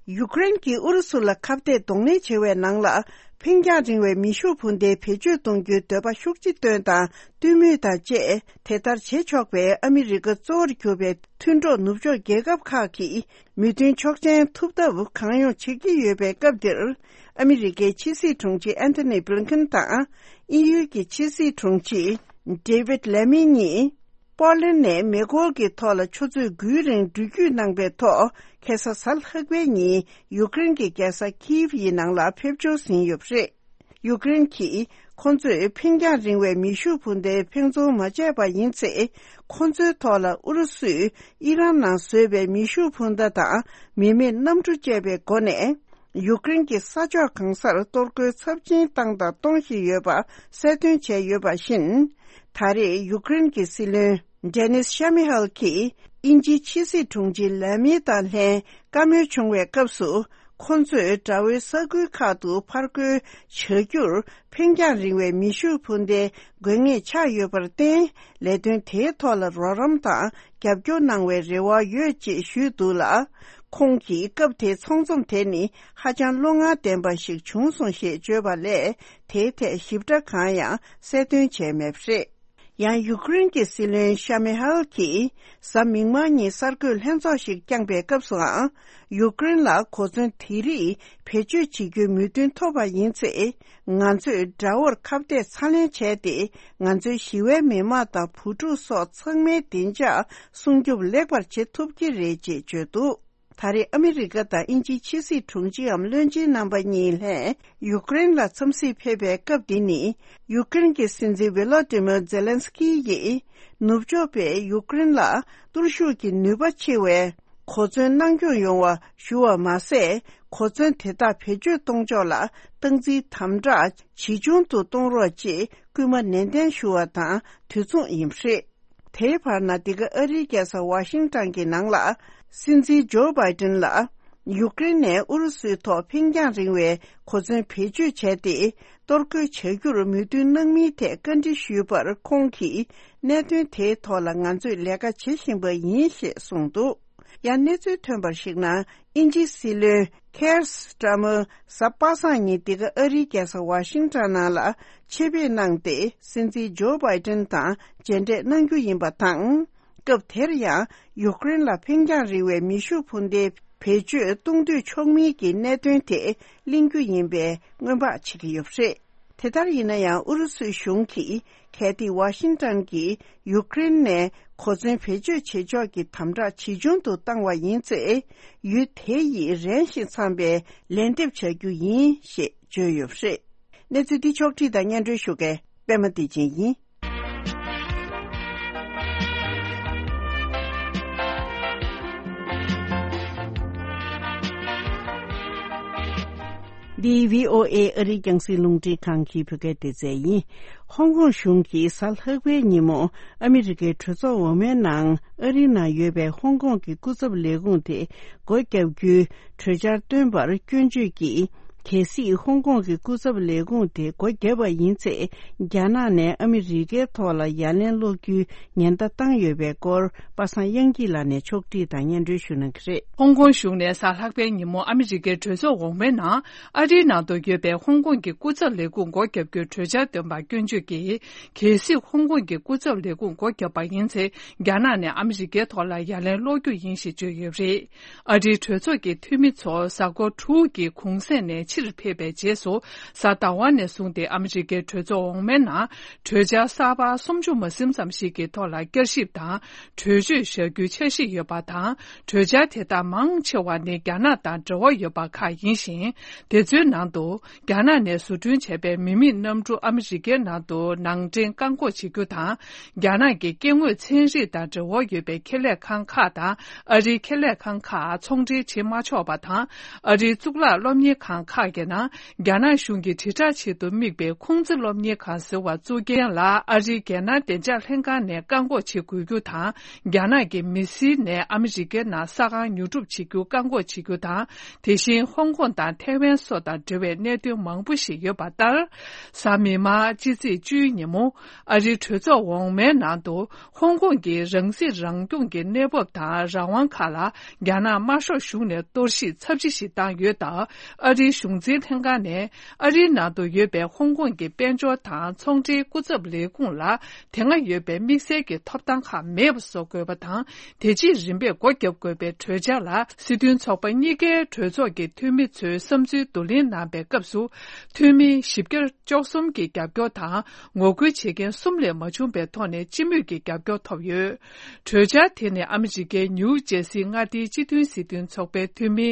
ཡུཀ་རེན་གྱིས་ཨུ་རུ་སུ་ལ་ཁ་གཏད་གདོང་ལེན་བྱེད་པའི་ནང་ལ། འཕེན་རྒྱང་རིང་བའི་མེ་ཤུགས་འཕུར་མདའི་བེད་སྤྱོད་གཏོང་རྒྱུའི་འདོད་པ་ཤུགས་ཆེ་བཏོན་དང་བཏོན་མུས་དང་བཅས། དེ་ལྟར་བྱེད་ཆོག་པའི་ཨ་མི་རི་ཀ་གཙོ་བོར་གྱུར་པའི་མཐུན་གྲོགས་ནུབ་ཕྱོགས་རྒྱལ་ཁབ་ཁག་གིས་མོས་མཐུན་ཆོག་མཆན་ཐོབ་ཐབས་གང་ཡོང་བྱེད་ཀྱི་ཡོད་པའི་སྐབས་འདིར། ཨ་མི་རི་ཀའི་ཕྱི་སྲིད་དྲུང་ཆེ་ཨན་ཐོ་ནི་བྷི་ལིན་ཁིན་དང་དབྱིན་ཡུལ་གྱི་ཕྱི་སྲིད་དྲུང་ཆེ་ཌེ་བིད་ལེ་མི་གཉིས། པོ་ལན་ནས་མེ་འཁོར་གྱི་ཐོག་ལ་ཆུ་ཚོད་དགུའི་རིང་འགྲུལ་སྐྱོད་གནང་པའི་ཐོག་ཁ་སང་གཟའ་ལྷག་པའི་ཉིན་ཡུཀ་རེན་གྱི་རྒྱལ་ས་ཁིབ་ཡི་ནང་ལ་ཕེབས་འབྱོར་ཟིན་ཡོད་པ་རེད། ཡུཀ་རེན་གྱིས་ཁོ་ཚོས་འཕེན་རྒྱང་རིང་བའི་མེ་ཤུགས་འཕུར་མདའི་འཕེན་རྫོང་མ་བྱས་པ་ཡིན་ཚེ། ཁོ་ཚོའི་ཐོག་ལ་ཨུ་རུ་སུས་ཨི་རན་ནང་བཟོས་པའི་མེ་ཤུགས་འཕུར་མདའ་དང་མི་མེད་གནམ་གྲུ་བཅས་པའི་སྒོ་ནས། ཡུཀ་རེན་གྱི་ས་ཕྱོགས་གང་སར་གཏོར་རྒོལ་ཚབས་ཆེན་བཏང་དང་གཏོང་བཞིན་ཡོད་པ་གསལ་སྟོན་བྱས་ཡོད་པ་བཞིན། ད་རེས་ཡུཀ་རེན་གྱི་སྲིད་བློན་ཌེ་ནིས་ཤ་མི་ཧལ་གྱིས་དབྱིན་ཇིའི་ཕྱི་སྲིད་དྲུང་ཆེ་ལ་མི་དང་ལྷན་བཀའ་མོལ་བྱུང་བའི་སྐབས་སུ། ཁོ་ཚོས་དགྲ་བོའི་ས་ཁུལ་ཁག་ཏུ་ཕར་རྒོལ་བྱ་རྒྱུར་འཕེན་རྒྱང་རིང་བའི་མེ་ཤུགས་འཕུར་མདའི་དགོས་ངེས་ཆགས་ཡོད་པར་བརྟེན། ལས་དོན་དེའི་ཐོག་ལ་རོགས་རམ་དང་རྒྱབ་སྐྱོར་གནང་བའི་རེ་བ་ཡོད་ཅེས་ཞུས་འདུག་ལ། ཁོང་གིས་སྐབས་དེའི་ཚོང་འཛོམས་དེ་ནི་ཧ་ཅང་བློ་ངར་ལྡན་པ་ཞིག་བྱུང་སོང་ཞེས་བརྗོད་པ་ལས། དེའི་ཐད་ཞིབ་ཕྲ་གང་ཡང་གསལ་སྟོན་བྱས་མེད་པ་རེད། ཡང་ཡུཀ་རེན་གྱི་སྲིད་བློན་ཤ་མེ་ཧལ་གྱིས་གཟའ་མིག་དམར་ཉིན་གསར་འགོད་ལྷན་ཚོགས་ཤིག་བསྐྱངས་པའི་སྐབས་སུའང་། ཡུཀ་རེན་ལ་གོ་མཚོན་དེ་རིགས་བེད་སྤྱོད་བྱེད་རྒྱུའི་མོས་མཐུན་ཐོབ་པ་ཡིན་ཚེ། ང་ཚོས་དགྲ་བོར་ཁ་གཏད་ཚ་ལེན་བྱས་ཏེ། ང་ཚོའི་ཞི་བའི་མི་དམངས་དང་བུ་ཕྲུག་སོགས་ཚང་མའི་བདེ་འཇགས་སྲུང་སྐྱོབ་ལེགས་པར་བྱེད་ཐུབ་ཀྱི་རེད་ཅེས་བརྗོད་འདུག་ད་རེས་ཨ་མི་རི་ཀ་དང་དབྱིན་ཇིའི་ཕྱི་སྲིད་དྲུང་ཆེའམ་བློན་ཆེན་རྣམ་པ་གཉིས་ལྷན་ཡུཀ་རེན་ལ་འཚམས་གཟིགས་ཕེབས་པའི་སྐབས་འདི་ནི། ཡུཀ་རེན་གྱི་སྲིད་འཛིན་ཝི་ལོ་ཏི་མིར་ཛེ་ལན་སི་ཀི་ཡིས་ནུབ་ཕྱོགས་པས་ཡུཀ་རེན་ལ་གཏོར་ཤུགས་ཀྱི་ནུས་པ་ཆེ་བའི་གོ་མཚོན་གནང་སྐྱོང་ཡོང་བ་ཞུ་བ་མ་ཟད། གོ་མཚོན་དེ་དག་བེད་སྤྱོད་གཏོང་ཕྱོགས་ལ་སྟངས་འཛིན་དམ་དྲག་ཇེ་ཆུང་དུ་གཏོང་རོགས་ཅེས་སྐུལ་མ་ནན་ཏན་ཞུ་བ་དང་དུས་མཚུངས་ཡིན་པ་རེད། དེའི་བར་ན། འདི་ག་ཨ་རིའི་རྒྱལ་ས་ཝ་ཤིང་ཊོན་གྱི་ནང་ལ། སྲིད་འཛིན་ཇོ་བྷའི་ཏིན་ལ། ཡུཀ་རེན་ནས་ཨུ་རུ་སུའི་ཐོག་འཕེན་རྒྱང་རིང་བའི་གོ་མཚོན་བེད་སྤྱོད་བྱས་ཏེ། གཏོར་རྒོལ་བྱ་རྒྱུར་མོས་མཐུན་གནང་མིན་ཐད་བཀའ་འདྲི་ཞུས་པར། ཁོང་གིས། གནད་དོན་དེའི་ཐོག་ལ་ང་ཚོས་ལས་ཀ་བྱེད་བཞིན་པ་ཡིན་ཞེས་གསུངས་འདུག་ཡང་གནས་ཚུལ་ཐོན་པར་གཞིགས་ན། དབྱིན་ཇིའི་སྲིད་བློན་ཁེར་སི་ཊ་མར་གཟའ་པ་སངས་ཉིན་འདི་ག་ཨ་རིའི་རྒྱལ་ས་ཝ་ཤིང་ཊོན་ནང་ལ་ཆེད་ཕེབས་གནང་སྟེ། སྲིད་འཛིན་ཇོ་བྷའི་ཏིན་དང་མཇལ་འཕྲད་གནང་རྒྱུ་ཡིན་པ་དང་། སྐབས་དེར་ཡང་ཡུཀ་རེན་ལ་འཕེན་རྒྱང་རིང་བའི་མེ་ཤུགས་འཕུར་མདའི་བེད་སྤྱོད་གཏོང་འདོད་ཆོག་མིན་གྱི་གནད་དོན་དེ་གླེང་རྒྱུ་ཡིན་པའི་སྔོན་དཔག་བྱེད་ཀྱི་ཡོད་པ་རེད། དེ་ལྟར་ཡིན་ན་ཡང་། ཨུ་རུ་སུའི་གཞུང་གིས་གལ་ཏེ་ཝ་ཤིང་ཊོན་གྱིས་ཡུཀ་རེན་ནས་གོ་མཚོན་བེད་སྤྱོད་བྱེད་ཕྱོགས་ཀྱི་དམ་དྲག་ཇེ་ཆུང་དུ་བཏང་བ་ཡིན་ཚེ། ཡུལ་དེ་ཡིས་རན་ཞིང་འཚམ་པའི་ལན་འདེབས་བྱ་རྒྱུ་ཡིན་ཞེས་བརྗོད་ཡོད་པ་རེད། གནས་ཚུལ་འདི་ཕྱོགས་བསྒྲིགས་དང་སྙན་སྒྲོན་ཞུ་མཁན་པད་མ་བདེ་ཆེན་ཡིན། འདི་བྷི་ཨོ་ཨེ་ཨ་རིའི་རྒྱང་སྲིང་རླུང་འཕྲིན་ཁང་གི་བོད་སྐད་སྡེ་ཚན་ཡིན། ཧོང་ཀོང་གཞུང་གིས་གཟའ་ལྷག་པའི་ཉིན་མོ་ཨ་མི་རི་ཀའི་གྲོས་ཚོགས་འོག་མའི་ནང་ཨ་རིའི་ནང་ཡོད་པའི་ཧོང་ཀོང་གི་སྐུ་ཚབ་ལས་ཁུངས་དེ་སྒོ་བརྒྱབ་རྒྱུའི་གྲོས་འཆར་བཏོན་པར་སྐྱོན་བརྗོད་ཀྱིས། གལ་སྲིད་ཧོང་ཀོང་གི་སྐུ་ཚབ་ལས་ཁུངས་དེ་སྒོ་བརྒྱབ་པ་ཡིན་ཚེ། རྒྱ་ནག་ནས་ཨ་མི་རི་ཀའི་ཐོག་ལ་ཡ་ལན་སློག་རྒྱུའི་ཉེན་བརྡ་བཏང་ཡོད་པའི་སྐོར་པ་སངས་དབྱངས་སྐྱིད་ལགས་ནས་ཕྱོགས་བསྒྲིགས་དང་སྙན་སྒྲོན་ཞུ་གནང་གི་རེད། ཧོང་ཀོང་གཞུང་ནས་གཟའ་ལྷག་པའི་ཉིན་མོ་ཨ་མི་རི་ཀའི་གྲོས་ཚོགས་འོག་མའི་ནང་ཨ་རིའི་ནང་དུ་ཡོད་པའི་ཧོང་ཀོང་གི་སྐུ་ཚབ་ལས་ཁུངས་སྒོ་བརྒྱབ་རྒྱུའི་གྲོས་འཆར་བཏོན་པར་སྐྱོན་བརྗོད་ཀྱིས། གལ་སྲིད་ཧོང་ཀོང་གི་སྐུ་ཚབ་ལས་ཁུངས་སྒོ་བརྒྱབ་པ་ཡིན་ཚེ། རྒྱ་ནག་ནས་ཨ་མི་རི་ཀའི་ཐོག་ལ་ཡ་ལན་སློག་རྒྱུ་ཡིན་ཞེས་བརྗོད་ཡོད་པ་རེད། ཨ་རིའི་གྲོས་ཚོགས་ཀྱི་འཐུས་མི་ཚོ་གཟའ་འཁོར་དྲུག་གི་གུང་སེང་ནས་ཕྱིར་ཕེབས་པའི་རྗེས་སུ། གཟའ་ཟླ་བ་ནས་བཟུང་སྟེ་ཨ་མི་རི་ཀའི་གྲོས་ཚོགས་འོག་མའི་ནང་གྲོས་འཆར་གསར་པ་སུམ་ཅུ་མ་ཟིན་ཙམ་ཞིག་གི་ཐོག་ལ་བསྐྱར་ཞིབ་དང་གྲོས་ཆོད་བཞག་རྒྱུའི་འཆར་གཞི་ཡོད་པ་དང་། གྲོས་འཆར་དེ་དག་མང་ཆེ་བ་ནི་རྒྱ་ནག་དང་འབྲེལ་བ་ཡོད་པ་ཁག་ཡིན་ཞིང་། དེ་ཚོའི་ནང་དུ། རྒྱ་ནག་ནས་བཟོ་སྐྲུན་བྱས་པའི་མི་མེད་གནམ་གྲུ་ཨ་མི་རི་ཀའི་ནང་དུ་ནང་འདྲེན་བཀག་འགོག་བྱེད་རྒྱུ་དང་། རྒྱ་ནག་གི་སྐྱེ་དངོས་ཚན་རིག་དང་འབྲེལ་བ་ཡོད་པའི་ཁེ་ལས་ཁང་ཁག་དང་ཨ་རིའི་ཁེ་ལས་ཁང་ཁག་ཚོང་འབྲེལ་བྱེད་མ་ཆོག་པ་དང་། ཨ་རིའི་གཙུག་ལག་སློབ་གཉེར་ཁང་ཁག་ གི་ནང་རྒྱ་ནག་གཞུང་གི་དྲིལ་བསྒྲགས་ཆེད་དུ་དམིགས་པའི་ཁུང་ཙི་སློབ་གཉེར་ཁང་ཟེར་བ་བཙུགས་རྐྱེན་ལ་ཨ་རིའི་རྒྱལ་ནང་བདེ་འཇགས་ལྷན་ཁང་ནས་བཀག་འགོག་བྱེད་དགོས་རྒྱུ་དང་། རྒྱ་ནག་གི་མི་སེར་ནས་ཨ་མི་རི་ཀའི་ནང་ས་ཁང་ཉོ་སྒྲུབ་བྱེད་རྒྱུ་བཀག་འགོག་བྱེད་རྒྱུ་དང་། དེ་བཞིན་ཧོང་ཀོང་དང་ཐའེ་ཝན་སོགས་དང་འབྲེལ་བའི་གནད་དོན་མང་པོ་ཞིག་ཡོད་པ་ལྟར། གཟའ་མིག་དམར་སྤྱི་ཚེས་བཅུའི་ཉིན་མོ། ཨ་རིའི་གྲོས་ཚོགས་འོག་མའི་ནང་དུ། ཧོང་ཀོང་གི་རང་སྲིད་རང་སྐྱོང་གི་གནས་བབ་དང་རང་དབང་ཁག་ལ་རྒྱ་ནག་དམར་ཤོག་གཞུང་ནས་གཏོར་བཤིག་ཚབས་ཆེ་ཞིག་བཏང་ཡོད་སྟབས། ཨ་རིའི་གཞུང་འཛིན་ལྷན་ཁང་ནས་ཨ་རིའི་ནང་དུ་ཡོད་པའི་ཧོང་ཀོང་གི་དཔལ་འབྱོར་དང་ཚོང་འབྲེལ་སྐུ་ཚབ་ལས་ཁུངས་ལ་དེ་སྔ་ཡོད་པའི་དམིགས་བསལ་གྱི་ཐོབ་ཐང་ཁག་མེད་པ་བཟོ་དགོས་པ་དང་། དེ་རྗེས་རིམ་པས་སྒོ་བརྒྱབ་དགོས་པའི་གྲོས་འཆར་ལ་སྲིད་དོན་ཚོགས་པ་གཉིས་ཀའི་གྲོས་ཚོགས་ཀྱི་འཐུས་མི་ཚོས་བསམ་ཚུལ་བསྡུ་ལེན་གནང་པའི་སྐབས་སུ། འཐུས་མི་བཞི་བརྒྱ་བཅུ་གསུམ་གྱི་རྒྱབ་སྐྱོར་དང་ངོ་རྒོལ་བྱེད་མཁན་གསུམ་ལས་མ་བྱུང་པའི་ཐོག་ནས་སྤྱི་མོས་ཀྱི་རྒྱབ་སྐྱོར་ཐོབ་ཡོད། གྲོས་འཆར་དེ་ནི་ཨ་མི་རི་ཀའི་ནིའུ་ཇེ་སི་མངའ་སྡེའི་སྤྱི་མཐུན་སྲིད་དོན་ཚོགས་པའི་འཐུས་མི་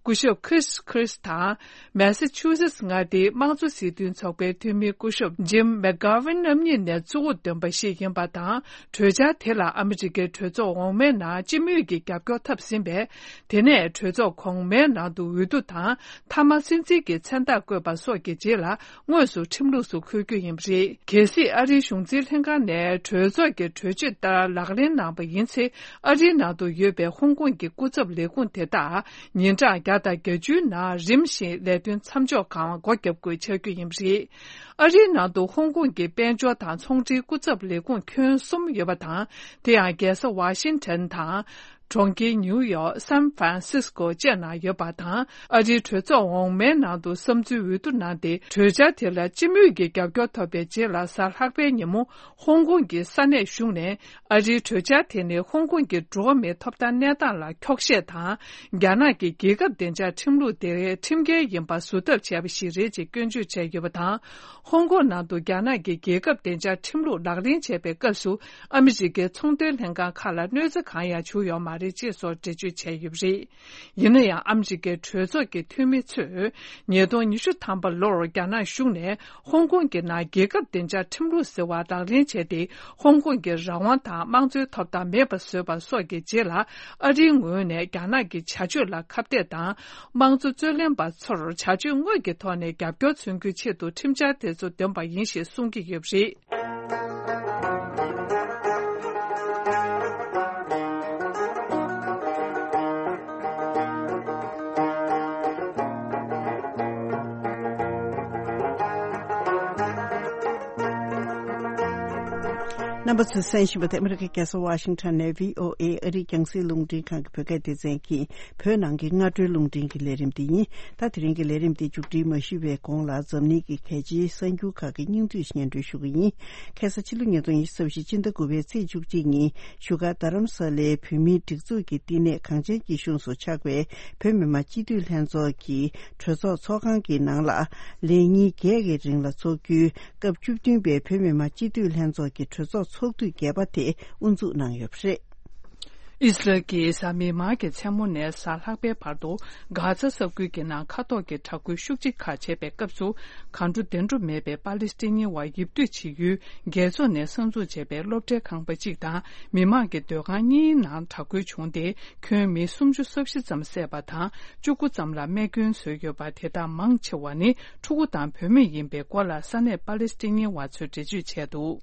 སྐུ་ཞབས་Chris Christ དང་། མེ་ས་ཆུ་སེ་ཊི་མངའ་སྡེའི་དམངས་གཙོ་སྲིད་དོན་ཚོགས་པའི་འཐུས་མི་སྐུ་ཞབས་Jim McGovern རྣམ་གཉིས་ནས་གཙོ་བོ་འདོན་པ་ཞིག་ཡིན་པ་དང་། གྲོས་འཆར་དེ་ལ་ཨ་མི་རི་ཀའི་གྲོས་ཚོགས་འོག་མའི་ནང་སྤྱི་མོས་ཀྱི་རྒྱབ་སྐྱོར་ཐོབ་ཟིན་པས། དེ་ནས་གྲོས་ཚོགས་གོང་མའི་ནང་དུ་འོས་བསྡུ་དང་། མཐའ་མ་སྲིད་འཛིན་གྱི་མཚན་རྟགས་བཀོད་པ་སོགས་ཀྱི་རྗེས་ལ་དངོས་སུ་ཁྲིམས་ལུགས་སུ་འཁོད་རྒྱུ་ཡིན་པ་རེད། གལ་སྲིད་ཨ་རིའི་གཞུང་འཛིན་ལྷན་ཁང་ནས་གྲོས་ཚོགས་ཀྱི་གྲོས་ཆོད་ལྟར་ལག་ལེན་གནང་པ་ཡིན་ཚེ། ཨ་རིའི་ནང་དུ་ཡོད་པའི་ཧོང་ཀོང་གི་སྐུ་ཚབ་ལས་ཁུངས་དེ་དག་ཉིན་གྲངས་བརྒྱ་དང་བརྒྱད་ཅུའི་ནང་རིམ་བཞིན་ལས་དོན་མཚམས་འཇོག་གམ་སྒོ་བརྒྱབ་དགོས་ཆགས་རྒྱུ་ཡིན་པ་རེད། ཨ་རིའི་ནང་དུ་ཧོང་ཀོང་གི་དཔལ་འབྱོར་དང་ཚོང་འབྲེལ་སྐུ་ཚབ་ལས་ཁུངས་ཁྱོན་གསུམ་ཡོད་པ་དང་། དེ་ཡང་རྒྱལ་ས་ཝ་ཤིང་ཊོན་དང་། གྲོང་ཁྱེར་ནིའུ་ཡོག་སན་ཧྥ་རན་སིས་ཀོ་བཅས་ནང་ཡོད་པ་དང་། ཨ་རིའི་གྲོས་ཚོགས་འོག་མའི་ནང་དུ་བསམ་ཚུལ་འོས་བསྡུ་གནང་སྟེ། གྲོས་འཆར་དེ་ལ་སྤྱི་མོས་ཀྱི་རྒྱབ་སྐྱོར་ཐོབ་པའི་རྗེས་ལ་གཟའ་ལྷག་པའི་ཉིན་མོ་ཧོང་ཀོང་གི་ས་གནས་གཞུང་ནས། ཨ་རིའི་གྲོས་འཆར་དེ་ནི་ཧོང་ཀོང་གི་འགྲོ་བ་མིའི་ཐོབ་ཐང་གནས་སྟངས་ལ་འཁྱོག་བཤད་དང་། རྒྱ་ནག་གི་རྒྱལ་ཁབ་བདེ་འཇགས་ཁྲིམས་ལུགས་དེ་ཁྲིམས་འགལ་ཡིན་པ་བཟོ་ཐབས་བྱས་པ་ཞིག་རེད་ཅེས་སྐྱོན་བརྗོད་བྱས་ཡོད་པ་དང་། ཧོང་ཀོང་ནང་དུ་རྒྱ་ནག་གི་རྒྱལ་ཁབ་བདེ་འཇགས་ཁྲིམས་ལུགས་ལག་ལེན་བྱས་པའི་སྐབས་སུ། ཨ་མི་རི་ཀའི་ཚོང་དོན་ལྷན་ཁང་ཁག་ལ་གནོད་འཚེ་གང་ཡང་བྱུང་ཡོད་མ་རེད་ཅེས་སོགས་འགྲེལ་བརྗོད་བྱས་ཡོད་པ་རེད། ཡིན་ན་ཡང་། ཨ་མི་རི་ཀའི་གྲོས་ཚོགས་ཀྱི་འཐུས་མི་ཚོས། ཉིས་སྟོང་ཉི་ཤུ་ཐམ་པ་ལོར་རྒྱ་ནག་གཞུང་ནས། ཧོང་ཀོང་གི་ནང་རྒྱལ་ཁབ་བདེ་འཇགས་ཁྲིམས་ལུགས་ཟེར་བ་ལག་ལེན་བྱས་ཏེ། ཧོང་ཀོང་གི་རང་དབང་དང་དམངས་གཙོའི་ཐོབ་ཐང་མེད་པར་བཟོས་པ་སོགས་ཀྱི་རྗེས་ལ། ཨ་རིའི་ངོས་ནས་རྒྱ་ནག་གི་བྱ་སྤྱོད་ལ་ཁ་གཏད་དང་། དམངས་གཙོ་རྩོད་ལེན་པ་ཚོར་བྱ་སྤྱོད་དངོས་ཀྱི་ཐོག་ནས་རྒྱབ་སྐྱོར་མཚོན་རྒྱུའི་ཆེད་དུ་ཁྲིམས་འཆར་དེ་ཚོ་འདོན་པ་ཡིན་ཞེས་གསུང་གི་ཡོད་པ་རེད། རྣམ་པ་ཚོས་གསན་བཞིན་པ་དེ་ཨ་མི་རི་ཀའི་རྒྱལ་ས་ཝ་ཤིང་ཊོན་ནས་བྷི་ཨོ་ཨེ་ཨ་རིའི་རྒྱང་སྲིང་རླུང་འཕྲིན་ཁང་གི་བོད་སྐད་སྡེ་ཚན་གྱི་བོད་ནང་གི་སྔ་དྲོའི་རླུང་འཕྲིན་གྱི་ལས་རིམ་དེ་ཡིན། ད་དེ་རིང་གི་ལས་རིམ་དེ་མཇུག་སྒྲིལ་མ་ཞུས་པའི་གོང་ལ། འཛམ་གླིང་གི་གལ་ཆེའི་གསར་འགྱུར་ཁག་གི་སྙིང་བསྡུས་སྙན་སྒྲོན་ཞུ་གི་ཡིན། ཁ་སང་ཕྱི་ལོ་ཉིས་སྟོང་ཉི་ཤུ་རྩ་བཞི་སྤྱི་ཟླ་དགུ་པའི་ཚེས་བཅུ་གཅིག་ཉིན་བཞུགས་སྒར་རྡ་རམ་ས་ལའི་བོད་མིའི་སྒྲིག་འཛུགས་ཀྱི་བསྟི་གནས་གངས་ཅན་སྐྱིད་གཤོངས་སུ་ཆགས་པའི་བོད་མི་མང་སྤྱི་འཐུས་ལྷན་ཚོགས་ཀྱི་གྲོས་ཚོགས་ཚོགས་ཁང་གི་ནང་ལ། ལས་ཉིན་བརྒྱད་ཀྱི་རིང་ལ་འཚོགས་རྒྱུའི་སྐབས་བཅུ་བདུན་པའི་བོད་མི་མང་སྤྱི་འཐུས་ལྷན་ཚོགས་ཀྱི་གྲོས་ཚོགས་ཚོགས་དུས་བརྒྱད་པ་དེ་དབུ་འཛུགས་གནང་ཡོད་པ་རེད། ཨི་སི་རལ་གྱིས་གཟའ་མིག་དམར་གྱི་མཚན་མོ་ནས་གཟའ་ལྷག་པའི་བར་དུ་གྷ་ཛ་ས་ཁུལ་གྱི་ནང་མཁའ་ཐོག་གི་དྲག་རྒོལ་ཤུགས་ཆེ་ཁག་བྱས་པའི་སྐབས་སུ། གང་འགྲོ་དེ་འགྲོ་མེད་པའི་པ་ལི་སི་ཐན་ཉི་བ་ཡིབ་སྡོད་བྱེད་ཡུལ་རྒྱལ་ཚོགས་ནས་གསར་འཛུགས་བྱས་པའི་སློབ་གྲྭའི་ཁང་པ་གཅིག་དང་མི་མང་གི་སྡོད་ཁང་གཉིས་ནང་དྲག་རྒོལ་བྱུང་སྟེ། ཁྱོན་མི་སུམ་ཅུ་སོ་བཞི་ཙམ་བསད་པ་དང་བཅུ་དགུ་ཙམ་ལ་རྨས་སྐྱོན་བཟོས་ཡོད་པ། དེ་དག་མང་ཆེ་བ་ནི་ཕྲུ་གུ་དང་བུད་མེད་ཡིན་པའི་སྐོར་ལ་ས་གནས་པ་ལི་སི་ཐན་ཉི་བ་ཚོས་འགྲེལ་བརྗོད་བྱས་འདུག་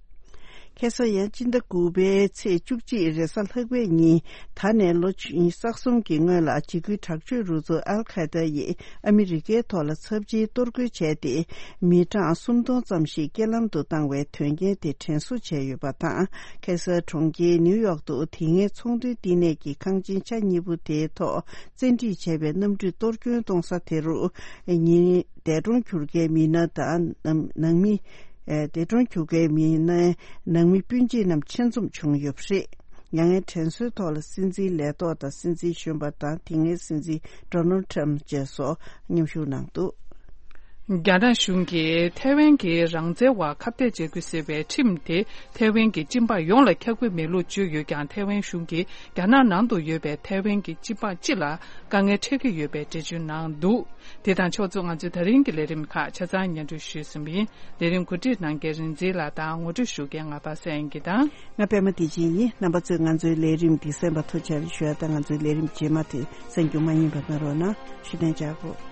ཁ་སང་ཡང་སྤྱི་ཟླ་དགུ་པའི་ཚེས་བཅུ་གཅིག་རེས་གཟའ་ལྷག་པའི་ཉིན། ད་ནས་ལོ་ཉི་ཤུ་རྩ་གསུམ་གྱི་སྔོན་ལ་འཇིགས་སྐུལ་དྲག་སྤྱོད་རུ་ཚོགས་ཨལ་ཁ་ཡེ་ཏཱ་ཡིས་ཨ་མི་རི་ཀའི་ཐོག་ལ་ཚབས་ཆེའི་གཏོར་རྒོལ་བྱས་ཏེ། མི་གྲངས་སུམ་སྟོང་ཙམ་ཞིག་རྐྱེན་ལམ་དུ་བཏང་བའི་དོན་རྐྱེན་དེ་དྲན་གསོ་བྱས་ཡོད་པ་དང་། ཁ་སང་གྲོང་ཁྱེར་ནིའུ་ཡོག་ཏུ་དེ་སྔའི་ཚོང་དོན་བསྟི་གནས་ཀྱི་ཁང་ཆེན་ཆ་གཉིས་པོ་དེའི་ཐོག་བཙན་ཁྲིད་བྱས་པའི་གནམ་གྲུས་གཏོར་སྐྱོན་གཏོང་ས་དེ་རུ། ཉིན། འདས་གྲོངས་གྱུར་མཁན་མི་སྣ་དང་ནང་མི། འདས་གྲོངས་གྱུར་མཁན་མི་སྣའི་ནང་མི་སྤུན་མཆེད་རྣམས་ཆེད་འཛོམས་བྱུང་ཡོད་པ་རེད། མྱ་ངན་དྲན་གསོའི་ཐོག་ལ་སྲིད་འཛིན་ལས་ཐོག་དང་སྲིད་འཛིན་གཞོན་པ་དང་དེ་སྔའི་སྲིད་འཛིན་ཌོ་ནལ་ཊམ་བཅས་སོགས་མཉམ་ཞུགས་གནང་འདུག་རྒྱ་ནག་གཞུང་གིས་ཐའེ་ཝན་གྱི་རང་བཙན་བར་ཁ་གཏད་བྱེད་དགོས་ཟེར་བའི་ཁྲིམས་དེ་ཐའེ་ཝན་གྱི་སྤྱི་འབངས་ཡོངས་ལ་ཁྱབ་ཀྱི་མེད་ལུགས་བརྗོད་ཡོད་ཀྱང་། ཐའེ་ཝན་གཞུང་གིས་རྒྱ་ནག་ནང་དུ་ཡོད་པའི་ཐའེ་ཝན་གྱི་སྤྱི་འབངས་སྤྱི་ལ་དཀའ་ངལ་འཕྲད་ཀྱི་ཡོད་པའི་འགྲེལ་བརྗོད་གནང་འདུག་དེ་དང་ཕྱོགས་མཚུངས། ང་ཚོའི་ད་རིང་གི་ལས་རིམ་ཁག་ཆ་ཚང་སྙན་སྒྲོན་ཞུས་ཟིན་པ་ཡིན། ལས་རིམ་གོ་སྒྲིག་གནང་མཁན་རིག་འཛིན་ལགས་དང་ངོ་སྤྲོད་ཞུ་མཁན་ང་པ་སངས་སྐྱིད་དང་། ང་པད་མ་བདེ་ཆེན་ཡིན། རྣམ་པ་ཚོས་ང་ཚོའི་ལས་རིམ་འདི་གསན་པར་ཐུགས་རྗེ་ཆེ་ཞུ་ཡ་དང་། ང་ཚོའི་ལས་རིམ་རྗེས་མ་དེ་གསན་རྒྱུ་མ་ཡིན་པ་གནང་རོགས་གནང་། ཞུ་གཏན་འཇགས་དགོས།